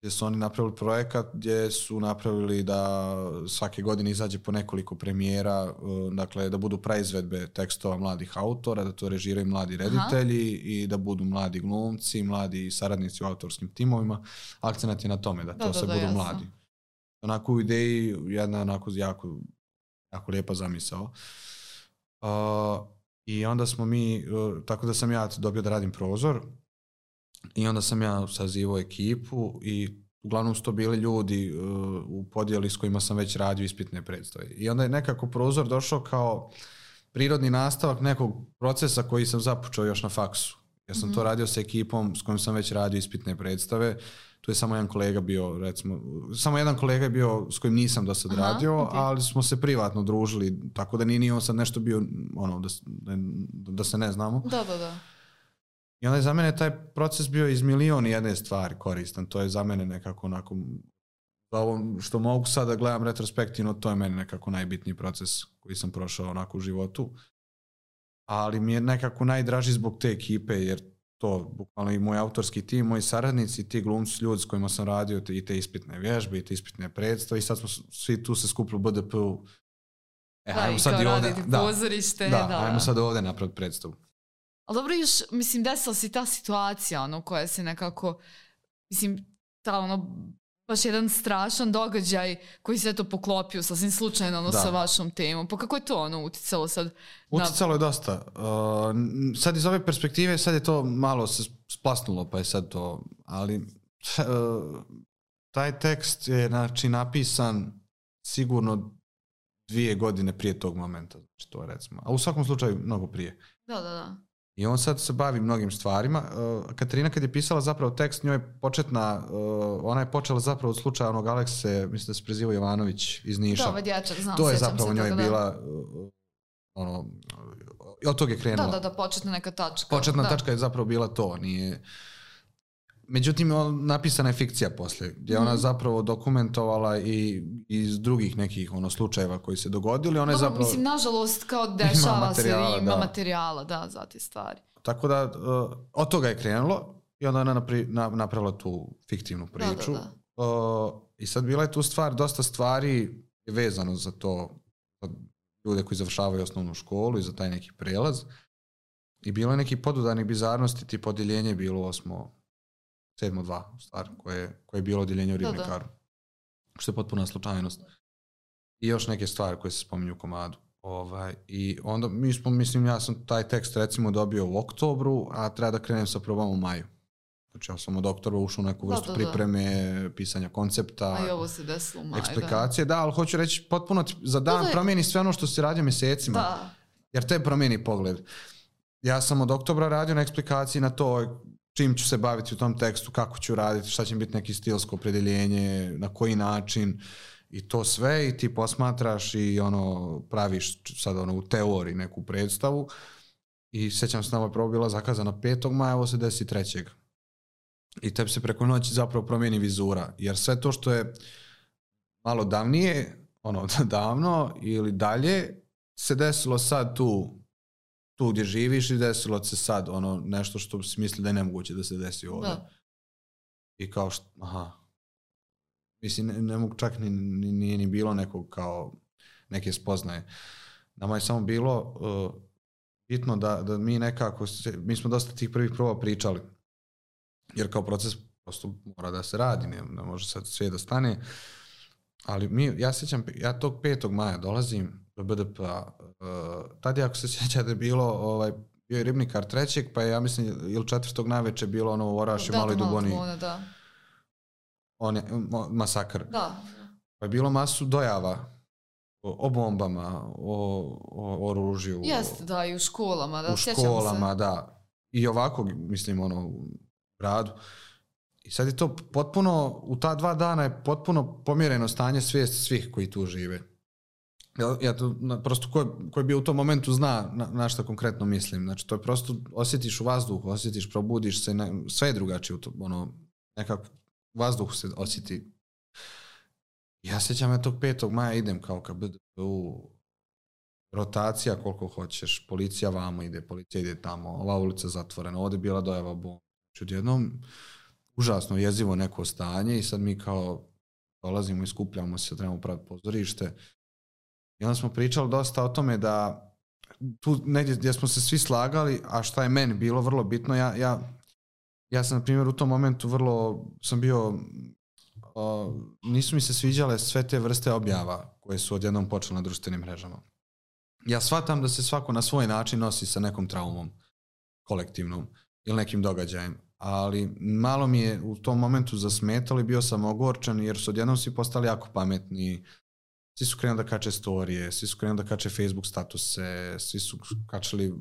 Speaker 2: gdje su oni napravili projekat gdje su napravili da svake godine izađe po nekoliko premijera, dakle da budu praizvedbe tekstova mladih autora, da to režiraju mladi reditelji i da budu mladi glumci, mladi saradnici u autorskim timovima. Akcenat je na tome da to sve budu jasno. Mladi. Onako u ideji jedna onako jako, jako lijepa zamisao. I onda smo mi, tako da sam ja dobio da radim prozor i onda sam ja sazivao ekipu i uglavnom su to bili ljudi u podjeli s kojima sam već radio ispitne predstave. I onda je nekako prozor došao kao prirodni nastavak nekog procesa koji sam započeo još na faksu. Ja sam to radio sa ekipom s kojom sam već radio ispitne predstave. Tu je samo jedan kolega bio, recimo, samo jedan kolega je bio s kojim nisam do sad radio, ali smo se privatno družili, tako da nije on sad nešto bio, da se ne znamo.
Speaker 1: Da.
Speaker 2: I onda je za mene taj proces bio iz milion i jedne stvari koristan. To je za mene nekako onako, ovo što mogu sada gledam retrospektivno, to je meni nekako najbitniji proces koji sam prošao onako u životu. Ali mi je nekako najdraži zbog te ekipe, jer to, bukvalno i moj autorski tim, moji saradnici, ti glumci, ljudi s kojima sam radio i te ispitne vježbe i te ispitne predstave i sad smo svi tu se skupili u BDP-u.
Speaker 1: Ajmo sad i ovdje, pozorište.
Speaker 2: Ajmo sad ovdje napraviti predstavu.
Speaker 1: Ali dobro, još, mislim, desila si ta situacija, koja se nekako, mislim, baš jedan strašan događaj koji se to poklopio sasvim slučajno sa vašom temom. Pa kako je to uticalo sad?
Speaker 2: Uticalo je dosta. Sad iz ove perspektive, sad je to malo se splasnulo, pa je sad to, ali taj tekst je napisan sigurno 2 godine prije tog momenta. Znači to recimo. A u svakom slučaju mnogo prije.
Speaker 1: Da.
Speaker 2: I on sad se bavi mnogim stvarima. Katarina kad je pisala zapravo tekst, njoj je ona je počela zapravo od slučaja onog Alekse, mislim da se prezivao Jovanović iz Niša.
Speaker 1: Da, dječak, znam.
Speaker 2: To je zapravo njoj bila, od tog je krenula.
Speaker 1: Da, početna neka tačka.
Speaker 2: Početna tačka je zapravo bila to. Međutim, napisana je fikcija poslije, gdje ona zapravo dokumentovala i iz drugih nekih slučajeva koji se dogodili. Ona je zapravo...
Speaker 1: Mislim, nažalost, kao dešava se i ima materijala, da, za te stvari.
Speaker 2: Tako da, od toga je krenulo i onda ona napravila tu fiktivnu priču.
Speaker 1: Da.
Speaker 2: I sad bila je tu stvar, dosta stvari je vezano za to, za ljude koji završavaju osnovnu školu i za taj neki prelaz. I bilo je neki podudarnih bizarnosti, ti odjeljenje je bilo 7.2 stvar, koje je bilo odjeljenje u Ribnikaru. Što je potpuna slučajnost. I još neke stvari koje se spominju u komadu. I onda ja sam taj tekst recimo dobio u oktobru, a treba da krenem sa probama u maju. Znači ja sam od oktobra ušao u neku vrstu pripreme, pisanja koncepta,
Speaker 1: a i ovo se desilo u maju,
Speaker 2: eksplikacije. Da, ali hoću reći potpuno za dan promijeni sve ono što si radio mjesecima.
Speaker 1: Da.
Speaker 2: Jer te promijeni pogled. Ja sam od oktobra radio na eksplikaciji na to čim ću se baviti u tom tekstu, kako ću raditi, šta će biti neki stilsko opredjeljenje, na koji način i to sve i ti posmatraš i praviš sad u teoriji neku predstavu i sjećam se ova proba bila zakazana 5. maja, ovo se desi 3. I tebi se preko noći zapravo promijeni vizura, jer sve to što je malo davnije, davno ili dalje, se desilo sad tu gdje živiš i desilo se sad nešto što si misli da je nemoguće da se desi ovdje. Da. I kao mislim, ne mogu čak nije ni bilo nekog kao neke spoznaje. Nama je samo bilo bitno da mi nekako, mi smo dosta tih prvih proba pričali, jer kao proces prosto mora da se radi, ne može sad sve da stane, ali ja sjećam, ja tog 5. maja dolazim do BDP-a, tad je, ako se sjećate, bilo bio je Ribnikar 3. pa je, ja mislim, ili 4. navečer bilo u Orašju, Maloj Duboni.
Speaker 1: Da.
Speaker 2: Masakr.
Speaker 1: Da.
Speaker 2: Pa je bilo masu dojava o bombama, o oružju.
Speaker 1: Jeste, da, i u školama. Da,
Speaker 2: u školama, da. I ovako, mislim, u gradu. I sad je to potpuno, u ta 2 dana je potpuno pomjereno stanje svijesti svih koji tu žive. Ja to, prosto ko je bio u tom momentu zna na što konkretno mislim. Znači, to je prosto, osjetiš u vazduhu, osjetiš, probudiš se, sve je drugačije u to, nekako vazduh se osjeti. Ja sjećam ja tog 5. maja idem kao ka BDP-u, rotacija koliko hoćeš, policija vamo ide, policija ide tamo, ova ulica zatvorena, ovdje je bila dojava bomba. Znači, odjednom užasno jezivo neko stanje i sad mi kao dolazimo i skupljamo se, trebamo praviti pozorište. I onda smo pričali dosta o tome da tu negdje gdje smo se svi slagali, a šta je meni bilo vrlo bitno, ja sam na primjer u tom momentu sam bio, nisu mi se sviđale sve te vrste objava koje su odjednom počele na društvenim mrežama. Ja shvatam da se svako na svoj način nosi sa nekom traumom kolektivnom ili nekim događajem, ali malo mi je u tom momentu zasmetalo i bio sam ogorčan jer su odjednom svi postali jako pametni. Svi su krenuli da kače storije, svi su krenuli da kače Facebook statuse, svi su kačali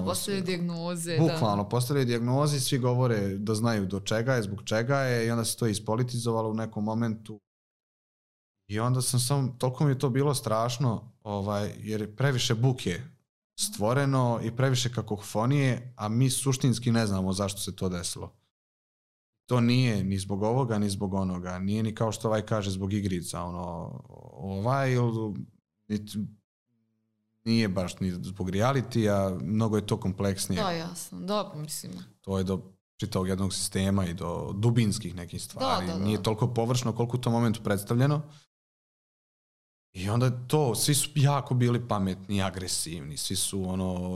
Speaker 1: postavili dijagnoze.
Speaker 2: Bukvalno, postavili dijagnoze i svi govore da znaju do čega je, zbog čega je i onda se to ispolitizovalo u nekom momentu. I onda toliko mi je to bilo strašno, jer je previše buke stvoreno i previše kakofonije, a mi suštinski ne znamo zašto se to desilo. To nije ni zbog ovoga, ni zbog onoga. Nije ni kao što kaže zbog igrica. Nije baš ni zbog realitija, mnogo je to kompleksnije.
Speaker 1: Da, jasno. Da, mislim.
Speaker 2: To je do čitavog jednog sistema i do dubinskih nekih stvari. Da. Nije toliko površno koliko u tom momentu predstavljeno. I onda svi su jako bili pametni i agresivni, svi su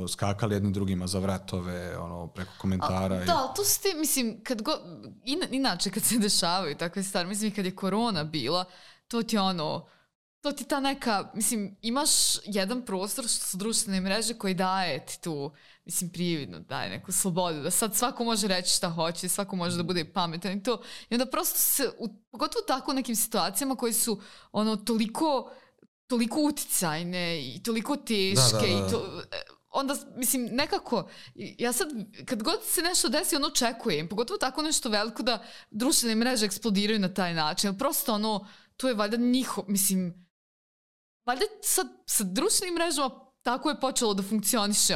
Speaker 2: skakali jedni drugima za vratove, preko komentara.
Speaker 1: Da, to su ti, mislim, inače kad se dešavaju takve stvari, mislim kad je korona bila, to ti ta neka, mislim, imaš jedan prostor što su društvene mreže koji daje ti tu, mislim, prividno daje neku slobodu, da sad svako može reći šta hoće, svako može da bude pametan i to. I onda prosto se, pogotovo tako u nekim situacijama koji su toliko uticajne i toliko teške i to, onda, mislim, nekako, ja sad, kad god se nešto desi, očekujem, pogotovo tako nešto veliko da društvene mreže eksplodiraju na taj način, ali prosto to je valjda mislim, valjda sad sa društvenim mrežama tako je počelo da funkcioniše,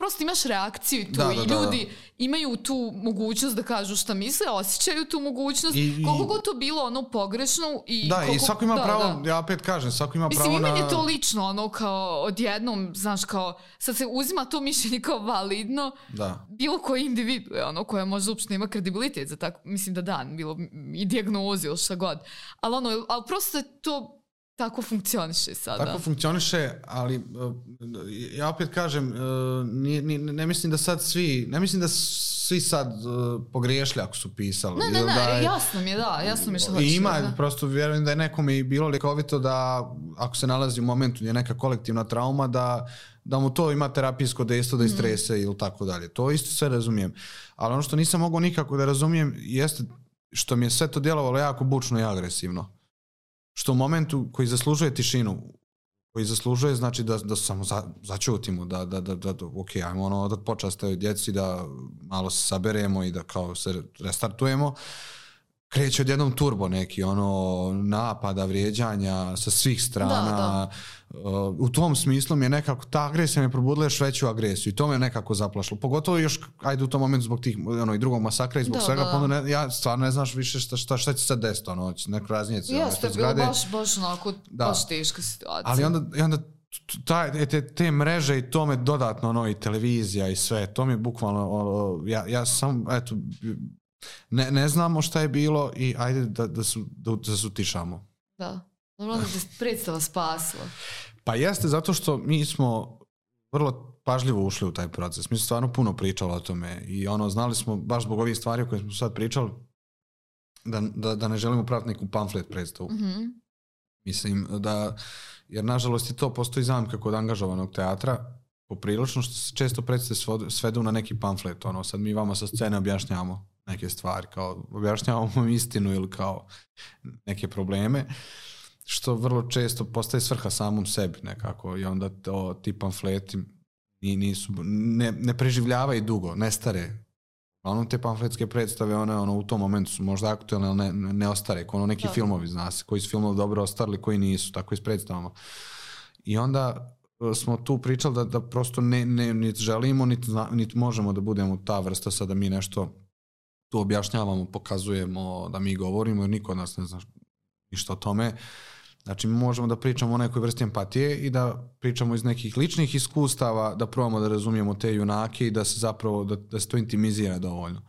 Speaker 1: prosto imaš reakciju tu i ljudi imaju tu mogućnost da kažu šta misle, osjećaju tu mogućnost, koliko god to bilo ono pogrešno i
Speaker 2: i svako ima pravo, ja opet kažem, svako ima pravo na...
Speaker 1: Mislim, meni je to lično, ono, kao odjednom, znaš, kao, sad se uzima to mišljenje kao validno, bilo koji individu, ono, koja možda uopšte nema kredibilitet za tako, mislim da bilo i dijagnozi ili šta god, ali prosto je to tako funkcioniše sada.
Speaker 2: Tako funkcioniše, ali ja opet kažem, ne mislim da sad svi sad pogriješili ako su pisali.
Speaker 1: Ne, jasno mi je što hoćeš.
Speaker 2: I ima, prosto vjerujem da je nekome i bilo likovito da ako se nalazi u momentu gdje je neka kolektivna trauma, da mu to ima terapijsko dejstvo da istrese ili tako dalje. To isto sve razumijem. Ali ono što nisam mogao nikako da razumijem jeste što mi je sve to djelovalo jako bučno i agresivno. Što u momentu koji zaslužuje tišinu, koji zaslužuje znači da samo začutimo, da ok, ajmo ono da počastaju djeci, da malo se saberemo i da kao se restartujemo, kreće odjednom turbo neki, ono, napada, vrijeđanja sa svih strana. U tom smislu mi je nekako, ta agresija me probudila još veću agresiju i to me nekako zaplašilo. Pogotovo još, ajde u tom momentu zbog tih, ono, i drugog masakra i zbog svega, pa onda ja stvarno ne znaš više šta će se sad desiti, ono, neko raznijeci.
Speaker 1: Jeste, bilo baš onako, baš teška situacija.
Speaker 2: Ali onda te mreže i to me dodatno, ono, i televizija i sve, to mi je bukvalno, ja sam, eto, ne znamo šta je bilo i ajde da se utišamo.
Speaker 1: Da, dobro da te predstava spasila.
Speaker 2: Pa jeste, zato što mi smo vrlo pažljivo ušli u taj proces. Mi smo stvarno puno pričali o tome i ono, znali smo baš zbog ovih stvari o kojih smo sad pričali da ne želimo praviti neku pamflet predstavu. Mm-hmm. Mislim da, jer nažalost i to postoji zamka kod angažovanog teatra, poprilično što se često predstave svedu na neki pamflet. Ono, sad mi vama sa scene objašnjavamo neke stvari, kao objašnjavamo istinu ili kao neke probleme, što vrlo često postaje svrha samom sebi nekako i onda ti pamfleti ne preživljavaju dugo, ne stare. Ono, te pamfletske predstave, one u tom momentu su možda aktualne, ali ne ostare, kao neki filmovi, zna se, koji su filmovi dobro ostarili, koji nisu, tako i s predstavama. I onda smo tu pričali da prosto niti želimo, niti možemo da budemo ta vrsta sad da mi nešto tu objašnjavamo, pokazujemo, da mi govorimo, jer niko od nas ne zna ništa o tome. Znači, mi možemo da pričamo o nekoj vrsti empatije i da pričamo iz nekih ličnih iskustava, da probamo da razumijemo te junake i da se zapravo, da se to intimizira dovoljno.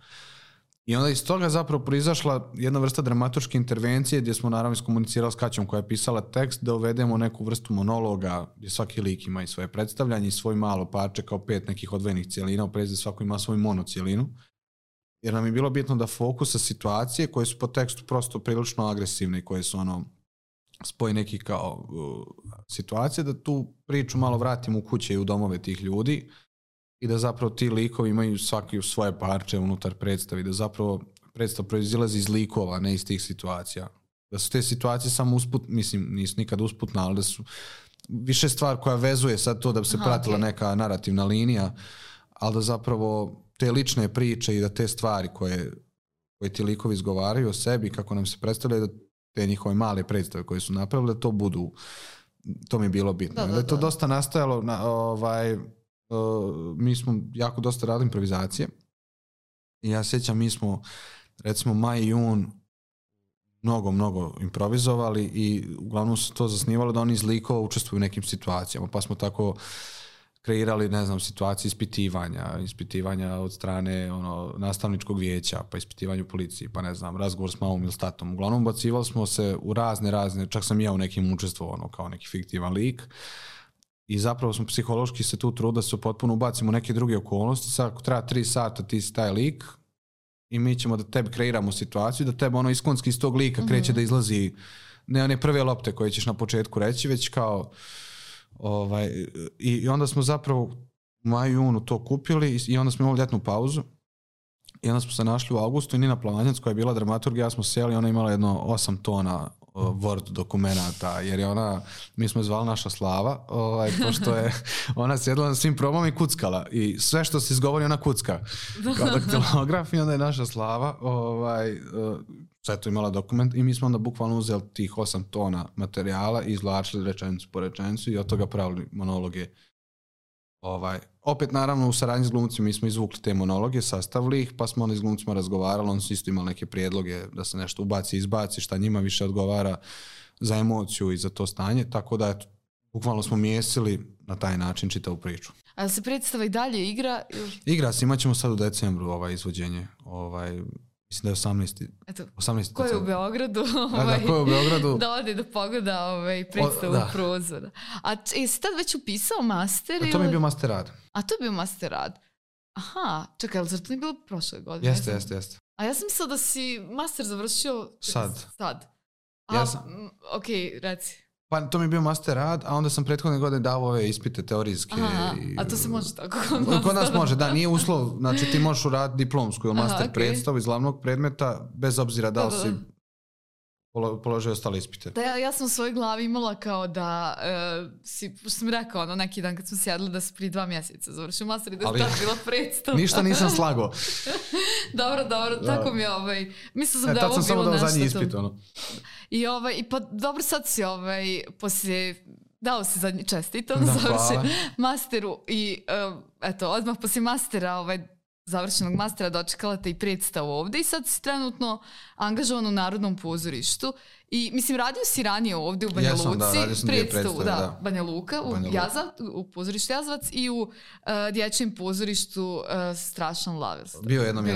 Speaker 2: I onda iz toga zapravo proizašla jedna vrsta dramaturške intervencije gdje smo naravno iskomunicirali s Kaćom koja je pisala tekst da uvedemo neku vrstu monologa gdje svaki lik ima i svoje predstavljanje i svoj malo parče kao 5 nekih odvojenih cijelina, u prezi svako ima svoju monocijelinu. Jer nam je bilo bitno da fokusa situacije koje su po tekstu prosto prilično agresivne i koje su ono spoj nekih kao situacije, da tu priču malo vratimo u kuće i u domove tih ljudi i da zapravo ti likovi imaju svaki svoje parče unutar predstavi, da zapravo predstav proizilazi iz likova, ne iz tih situacija. Da su te situacije samo mislim, nisu nikad usputna, ali da su više stvar koja vezuje sad to da bi se pratila neka narativna linija, ali da zapravo te lične priče i da te stvari koje ti likovi izgovaraju o sebi, kako nam se predstavljaju, da te njihove male predstave koje su napravili, da to budu, to mi je bilo bitno. Da je to dosta nastajalo, mi smo jako dosta radili improvizacije i ja sjećam, mi smo recimo maj i jun mnogo improvizovali i uglavnom su to zasnivalo da oni iz likova učestvuju u nekim situacijama, pa smo tako kreirali, ne znam, situacije ispitivanja od strane nastavničkog vijeća, pa ispitivanje u policiji, pa ne znam, razgovor s mamom ili s tatom. Uglavnom ubacivali smo se u razne, čak sam ja u nekim učestvovao kao neki fiktivan lik i zapravo smo psihološki se tu trudili da se potpuno ubacimo u neke druge okolnosti. Sad ako treba 3 sata ti si taj lik i mi ćemo da tebi kreiramo situaciju, da tebe iskonski iz tog lika kreće da izlazi ne one prve lopte koje ćeš na početku reći, već kao i onda smo zapravo u maju, junu to kupili i onda smo imali ljetnu pauzu i onda smo se našli u avgustu i Nina Plavanjac koja je bila dramaturg, ja smo sjeli, ona imala jedno 8 tona Word dokumenata, jer je mi smo je zvali naša Slava, pošto je ona sjedila na svim probama i kuckala i sve što se izgovori ona kucka kao daktilograf i onda je naša Slava sve to imala dokument i mi smo onda bukvalno uzeli tih 8 tona materijala i izvlačili rečenicu po rečenicu i od toga pravili monologe Opet naravno u saradnji s glumcima mi smo izvukli te monologe, sastavili ih, pa smo onda s glumcima razgovarali, oni su isto imali neke prijedloge da se nešto ubaci, izbaci, šta njima više odgovara za emociju i za to stanje, tako da eto, bukvalno smo miješali na taj način čitavu priču.
Speaker 1: A se predstava i dalje igra?
Speaker 2: Igra se, imat ćemo sad u decembru izvođenje, mislim da je 18.
Speaker 1: Ko je u Beogradu?
Speaker 2: Ko je u Beogradu?
Speaker 1: Da ode da pogleda predstavu prozora. A jesi tad već upisao master?
Speaker 2: To mi je bio master rad.
Speaker 1: A to je bio master rad? Aha, čekaj, ali zar to nije bilo prošle godine?
Speaker 2: Jeste.
Speaker 1: A ja sam mislila da si master završio sad. Ok, reci.
Speaker 2: Pa to mi je bio master rad, a onda sam prethodne godine dao ove ispite teorijske.
Speaker 1: A to se može tako
Speaker 2: kod nas može, da, nije uslov. Znači ti možeš uraditi diplomsku ili master predstavu iz glavnog predmeta, bez obzira da li si položio ostale ispite.
Speaker 1: Da, ja sam u svojoj glavi imala kao da što sam rekao neki dan kad smo sjedli da se prije 2 mjeseca završio master i da je tad bila predstava.
Speaker 2: Ništa nisam slago.
Speaker 1: Dobro, tako mi je mislila sam da je ovo bilo nešto.
Speaker 2: Tad sam samo dao zadnji ispit,
Speaker 1: I pa dobro sad si poslije dao si zadnji čestito na završen masteru i eto, odmah poslije mastera završenog mastera dočekala te i predstavu ovdje i sad si trenutno angažovan u Narodnom pozorištu i mislim radio si ranije ovdje u Banja Luci predstavu, Banja Luka, u pozorištu Jazavac i u dječjem pozorištu Strašan lav.
Speaker 2: Bio jednom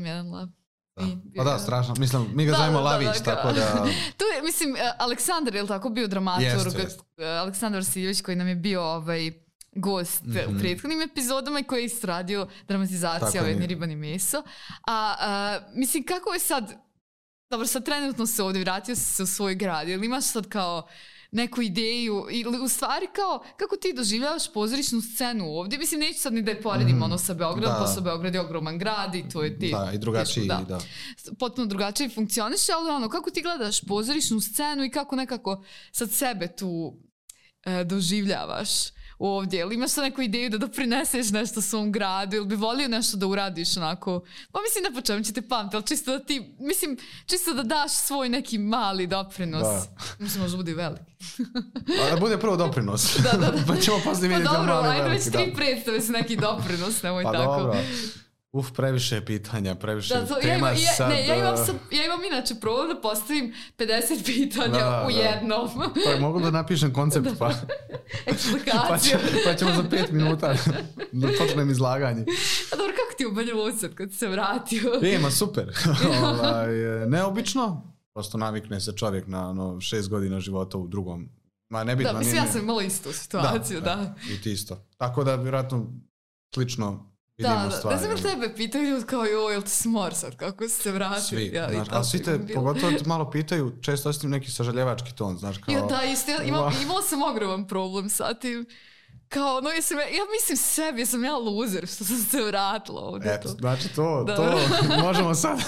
Speaker 2: jedan lav. Strašno. Mislim, mi ga zovemo Lavić, tako da...
Speaker 1: Tu je, mislim, Aleksandar je li tako bio dramaturg? Aleksandar Vasiljević koji nam je bio gost u prethodnim epizodama i koji je istradio dramatizaciju Jedni riban i meso. Mislim, kako je sad... Dobro, sad trenutno se ovdje vratio se u svoj grad. Ili imaš sad kao neku ideju ili u stvari kao kako ti doživljavaš pozorišnu scenu ovdje? Mislim, neću sad ni da je poredim sa Beogradom, posle Beograd je ogroman grad i to je ti...
Speaker 2: Da, i drugačiji,
Speaker 1: potpuno drugačije funkcioniše, ali kako ti gledaš pozorišnu scenu i kako nekako sad sebe tu doživljavaš ovdje? Ili imaš sad neku ideju da doprineseš nešto svom gradu ili bi volio nešto da uradiš onako? Pa mislim ne po čemu će te pamti, ali čisto da ti, mislim, čisto da daš svoj neki mali doprinos. Mislim, možda bude veliki.
Speaker 2: Da bude prvo doprinos. Pa ćemo poslije vidjeti
Speaker 1: mali veliki. Pa dobro, ajde već 3 predstave su neki doprinos, nemoj tako.
Speaker 2: Pa dobro. Previše pitanja, previše tema sad...
Speaker 1: Ja imam inače problem da postavim 50 pitanja u jednom.
Speaker 2: Pa mogu da napišem koncept, pa...
Speaker 1: Eksplikaciju.
Speaker 2: Pa ćemo za 5 minuta da počnem izlaganje.
Speaker 1: A dobro, kako ti u Banja Luci kad se vratio?
Speaker 2: Ima, super. Neobično. Prosto navikne se čovjek na 6 godina života u drugom.
Speaker 1: Da, mislim, ja sam imala istu situaciju, da.
Speaker 2: I ti isto. Tako da, vjerojatno, slično...
Speaker 1: Da sam tebe pitaju kao jel ti smor sad, kako si se vratio?
Speaker 2: Svi, ali svi te, pogotovo te malo pitaju, često osim neki sažaljevački ton, znaš, kao...
Speaker 1: Ja, da, isto, imala sam ogroman problem sa tim. Kao, ja mislim sebi, sam ja loser što sam se vratila ovdje.
Speaker 2: Eto, znači to možemo sad,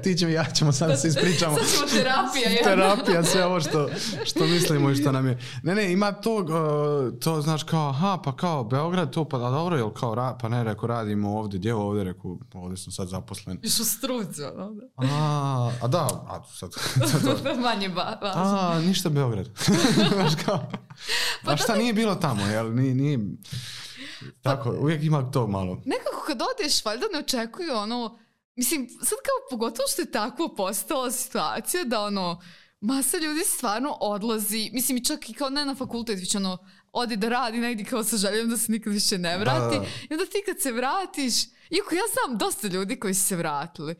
Speaker 2: ti ćemo i ja ćemo sad da se ispričamo.
Speaker 1: Sad ćemo terapija.
Speaker 2: Terapija, sve ovo što mislimo i što nam je. Ne, ima to znaš kao, pa kao Beograd, to pa dobro, jel kao, pa ne, rekao, radimo ovdje, gdje ovdje, rekao, ovdje sam sad zaposlen.
Speaker 1: Iš u struci,
Speaker 2: sad.
Speaker 1: Manje važno.
Speaker 2: Ništa Beograd. Znaš kao, a šta nije bilo tamo, jel, nije tako, uvijek ima to malo.
Speaker 1: Nekako kad odeš, valjda ne očekuju mislim, sad kao pogotovo što je tako postala situacija da masa ljudi stvarno odlazi, mislim i čak i kao ne na fakultet, već odi da radi negdje kao sa željom da se nikad više ne vrati. I onda ti kad se vratiš, iako ja znam dosta ljudi koji su se vratili,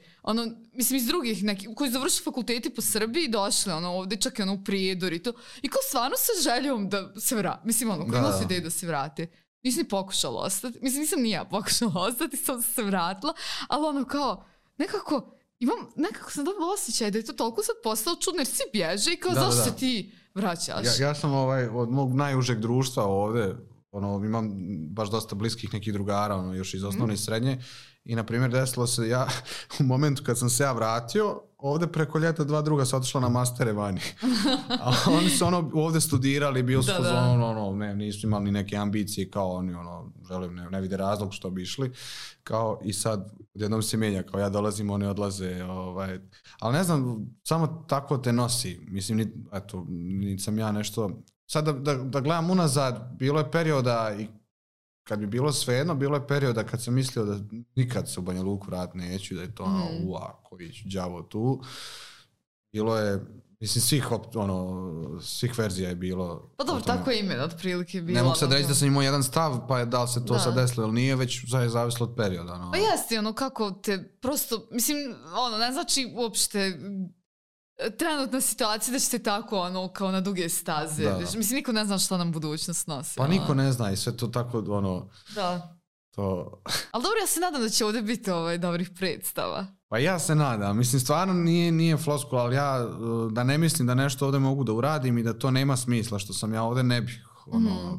Speaker 1: mislim iz drugih nekih, koji završili fakulteti po Srbiji i došli ovdje čak i u Prijedor i to, i kao stvarno sa željom da se vrati, mislim koji imao su ideju da se vrati. Nisam ni pokušala ostati, mislim nisam ni ja pokušala ostati, sam se vratila, ali kao, nekako sam dobila osjećaj da je to toliko sad postalo čudno jer svi bježe i kao zašto se ti vraćaš?
Speaker 2: Ja sam od mog najužeg društva ovdje, imam baš dosta bliskih nekih drugara, još iz osnovne i srednje i na primjer desilo se ja u momentu kad sam se ja vratio, ovdje preko ljeta 2 druga su otišla na mastere vani. A oni su ovdje studirali, bili su nisu imali ni neke ambicije kao oni, želim, ne vide razlog što bi išli. Kao i sad jednom se mijenja, kao ja dolazim, oni odlaze. Ali ne znam, samo tako te nosi. Mislim, nisam ja nešto... Sad da gledam unazad, bilo je perioda i kad bi bilo svejedno, bilo je perioda kad sam mislio da nikad se u Banja Luku vratiti neću, da je to koji ću đavo tu. Bilo je, mislim, svih verzija je bilo.
Speaker 1: Pa dobro, tako je ime, otprilike bilo.
Speaker 2: Ne mogu sad reći da sam imao jedan stav, pa je da li se to sad desilo ili nije, već zavislo od perioda.
Speaker 1: Pa jeste, kako te prosto, mislim, ne znači uopšte trenutna situacija da ćete tako kao na duge staze. Mislim, niko ne zna šta nam budućnost nosi.
Speaker 2: Pa niko ne zna i sve to tako
Speaker 1: Da.
Speaker 2: To...
Speaker 1: Ali dobro, ja se nadam da će ovdje biti dobrih predstava.
Speaker 2: Pa ja se nadam. Mislim, stvarno nije floskula, ali ja da ne mislim da nešto ovdje mogu da uradim i da to nema smisla što sam ja ovdje ne bih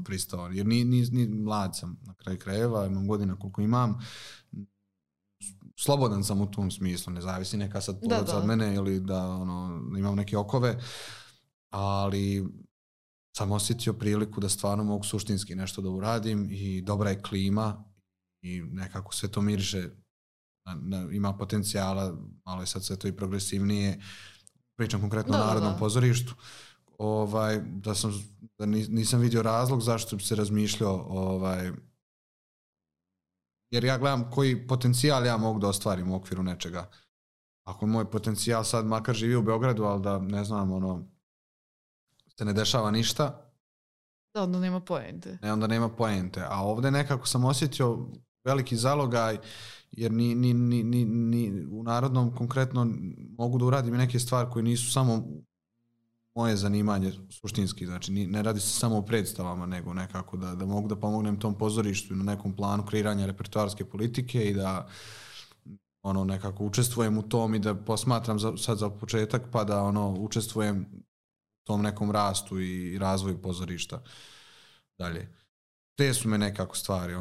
Speaker 2: pristao. Jer ni mlad sam na kraju krajeva, imam godina koliko imam. Slobodan sam u tom smislu, ne zavisi neka sad porodica od mene ili da imam neke okove, ali sam osjetio priliku da stvarno mogu suštinski nešto da uradim i dobra je klima i nekako sve to miriše, ima potencijala, malo je sad sve to i progresivnije, pričam konkretno o Narodnom pozorištu, da nisam vidio razlog zašto bi se razmišljao jer ja gledam koji potencijal ja mogu da ostvarim u okviru nečega. Ako moj potencijal sad makar živi u Beogradu, ali da ne znam, se ne dešava ništa.
Speaker 1: Da, onda nema poente.
Speaker 2: Onda nema poente. A ovdje nekako sam osjetio veliki zalogaj, jer ni u Narodnom konkretno mogu da uradim i neke stvari koje nisu samo moje zanimanje suštinski, znači ne radi se samo o predstavama, nego nekako da mogu da pomognem tom pozorištu i na nekom planu kreiranja repertoarske politike i da nekako učestvujem u tom i da posmatram sad za početak pa da učestvujem u tom nekom rastu i razvoju pozorišta dalje. Te su me nekako stvari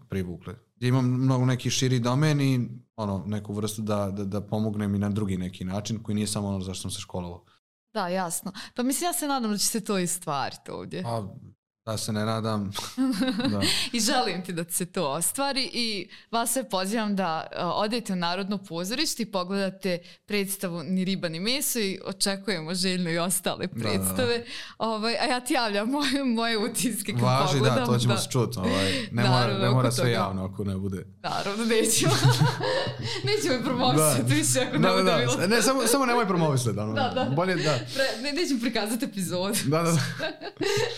Speaker 2: privukle. Gdje imam mnogo neki širi domen i neku vrstu da pomognem i na drugi neki način koji nije samo zašto sam se školovao.
Speaker 1: Da, jasno. Pa mislim, ja se nadam da će se to i stvariti ovdje.
Speaker 2: Da se ne nadam. Da.
Speaker 1: I želim ti da se to ostvari i vas sve pozivam da odete u Narodno pozorište i pogledate predstavu Ni riba ni meso i očekujemo željno i ostale predstave. A ja ti javljam moje utiske kad
Speaker 2: pogledam.
Speaker 1: Važi,
Speaker 2: da, to ćemo se čuti. Ne mora sve javno ako ne bude.
Speaker 1: Naravno, nećemo. Nećemo promovisati više ako ne bude bilo.
Speaker 2: Ne, samo nemoj promovisati. Bolje da.
Speaker 1: Nećemo prikazati epizod.
Speaker 2: Da.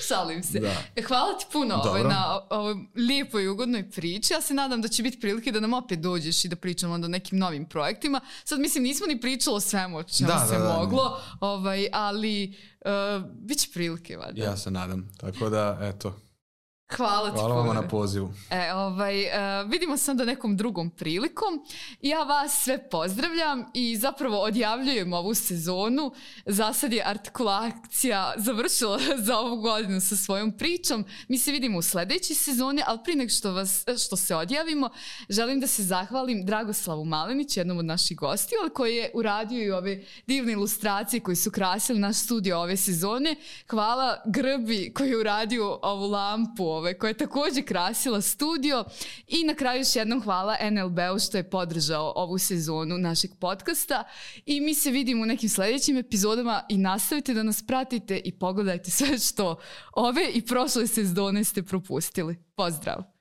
Speaker 1: Šalim se. Da. Hvala ti puno na ovoj lijepoj i ugodnoj priči. Ja se nadam da će biti prilike da nam opet dođeš i da pričamo onda o nekim novim projektima. Sad mislim nismo ni pričali o svemu o čemu se moglo, ali bit će prilike. Valjda.
Speaker 2: Ja se nadam. Tako da, eto.
Speaker 1: Hvala ti.
Speaker 2: Hvala vam na pozivu.
Speaker 1: Vidimo se onda nekom drugom prilikom. Ja vas sve pozdravljam i zapravo odjavljujem ovu sezonu. Za sad je Artikulacija završila za ovu godinu sa svojom pričom. Mi se vidimo u sljedećoj sezoni, ali prije nego što se odjavimo, želim da se zahvalim Dragoslavu Malenić, jednom od naših gostiju, koji je uradio i ove divne ilustracije koji su krasili naš studio ove sezone. Hvala Grbi koji je uradio ovu lampu koja je također krasila studio i na kraju još jednom hvala NLB-u što je podržao ovu sezonu našeg podcasta i mi se vidimo u nekim sljedećim epizodama i nastavite da nas pratite i pogledajte sve što ove i prošle sezone ste propustili. Pozdrav!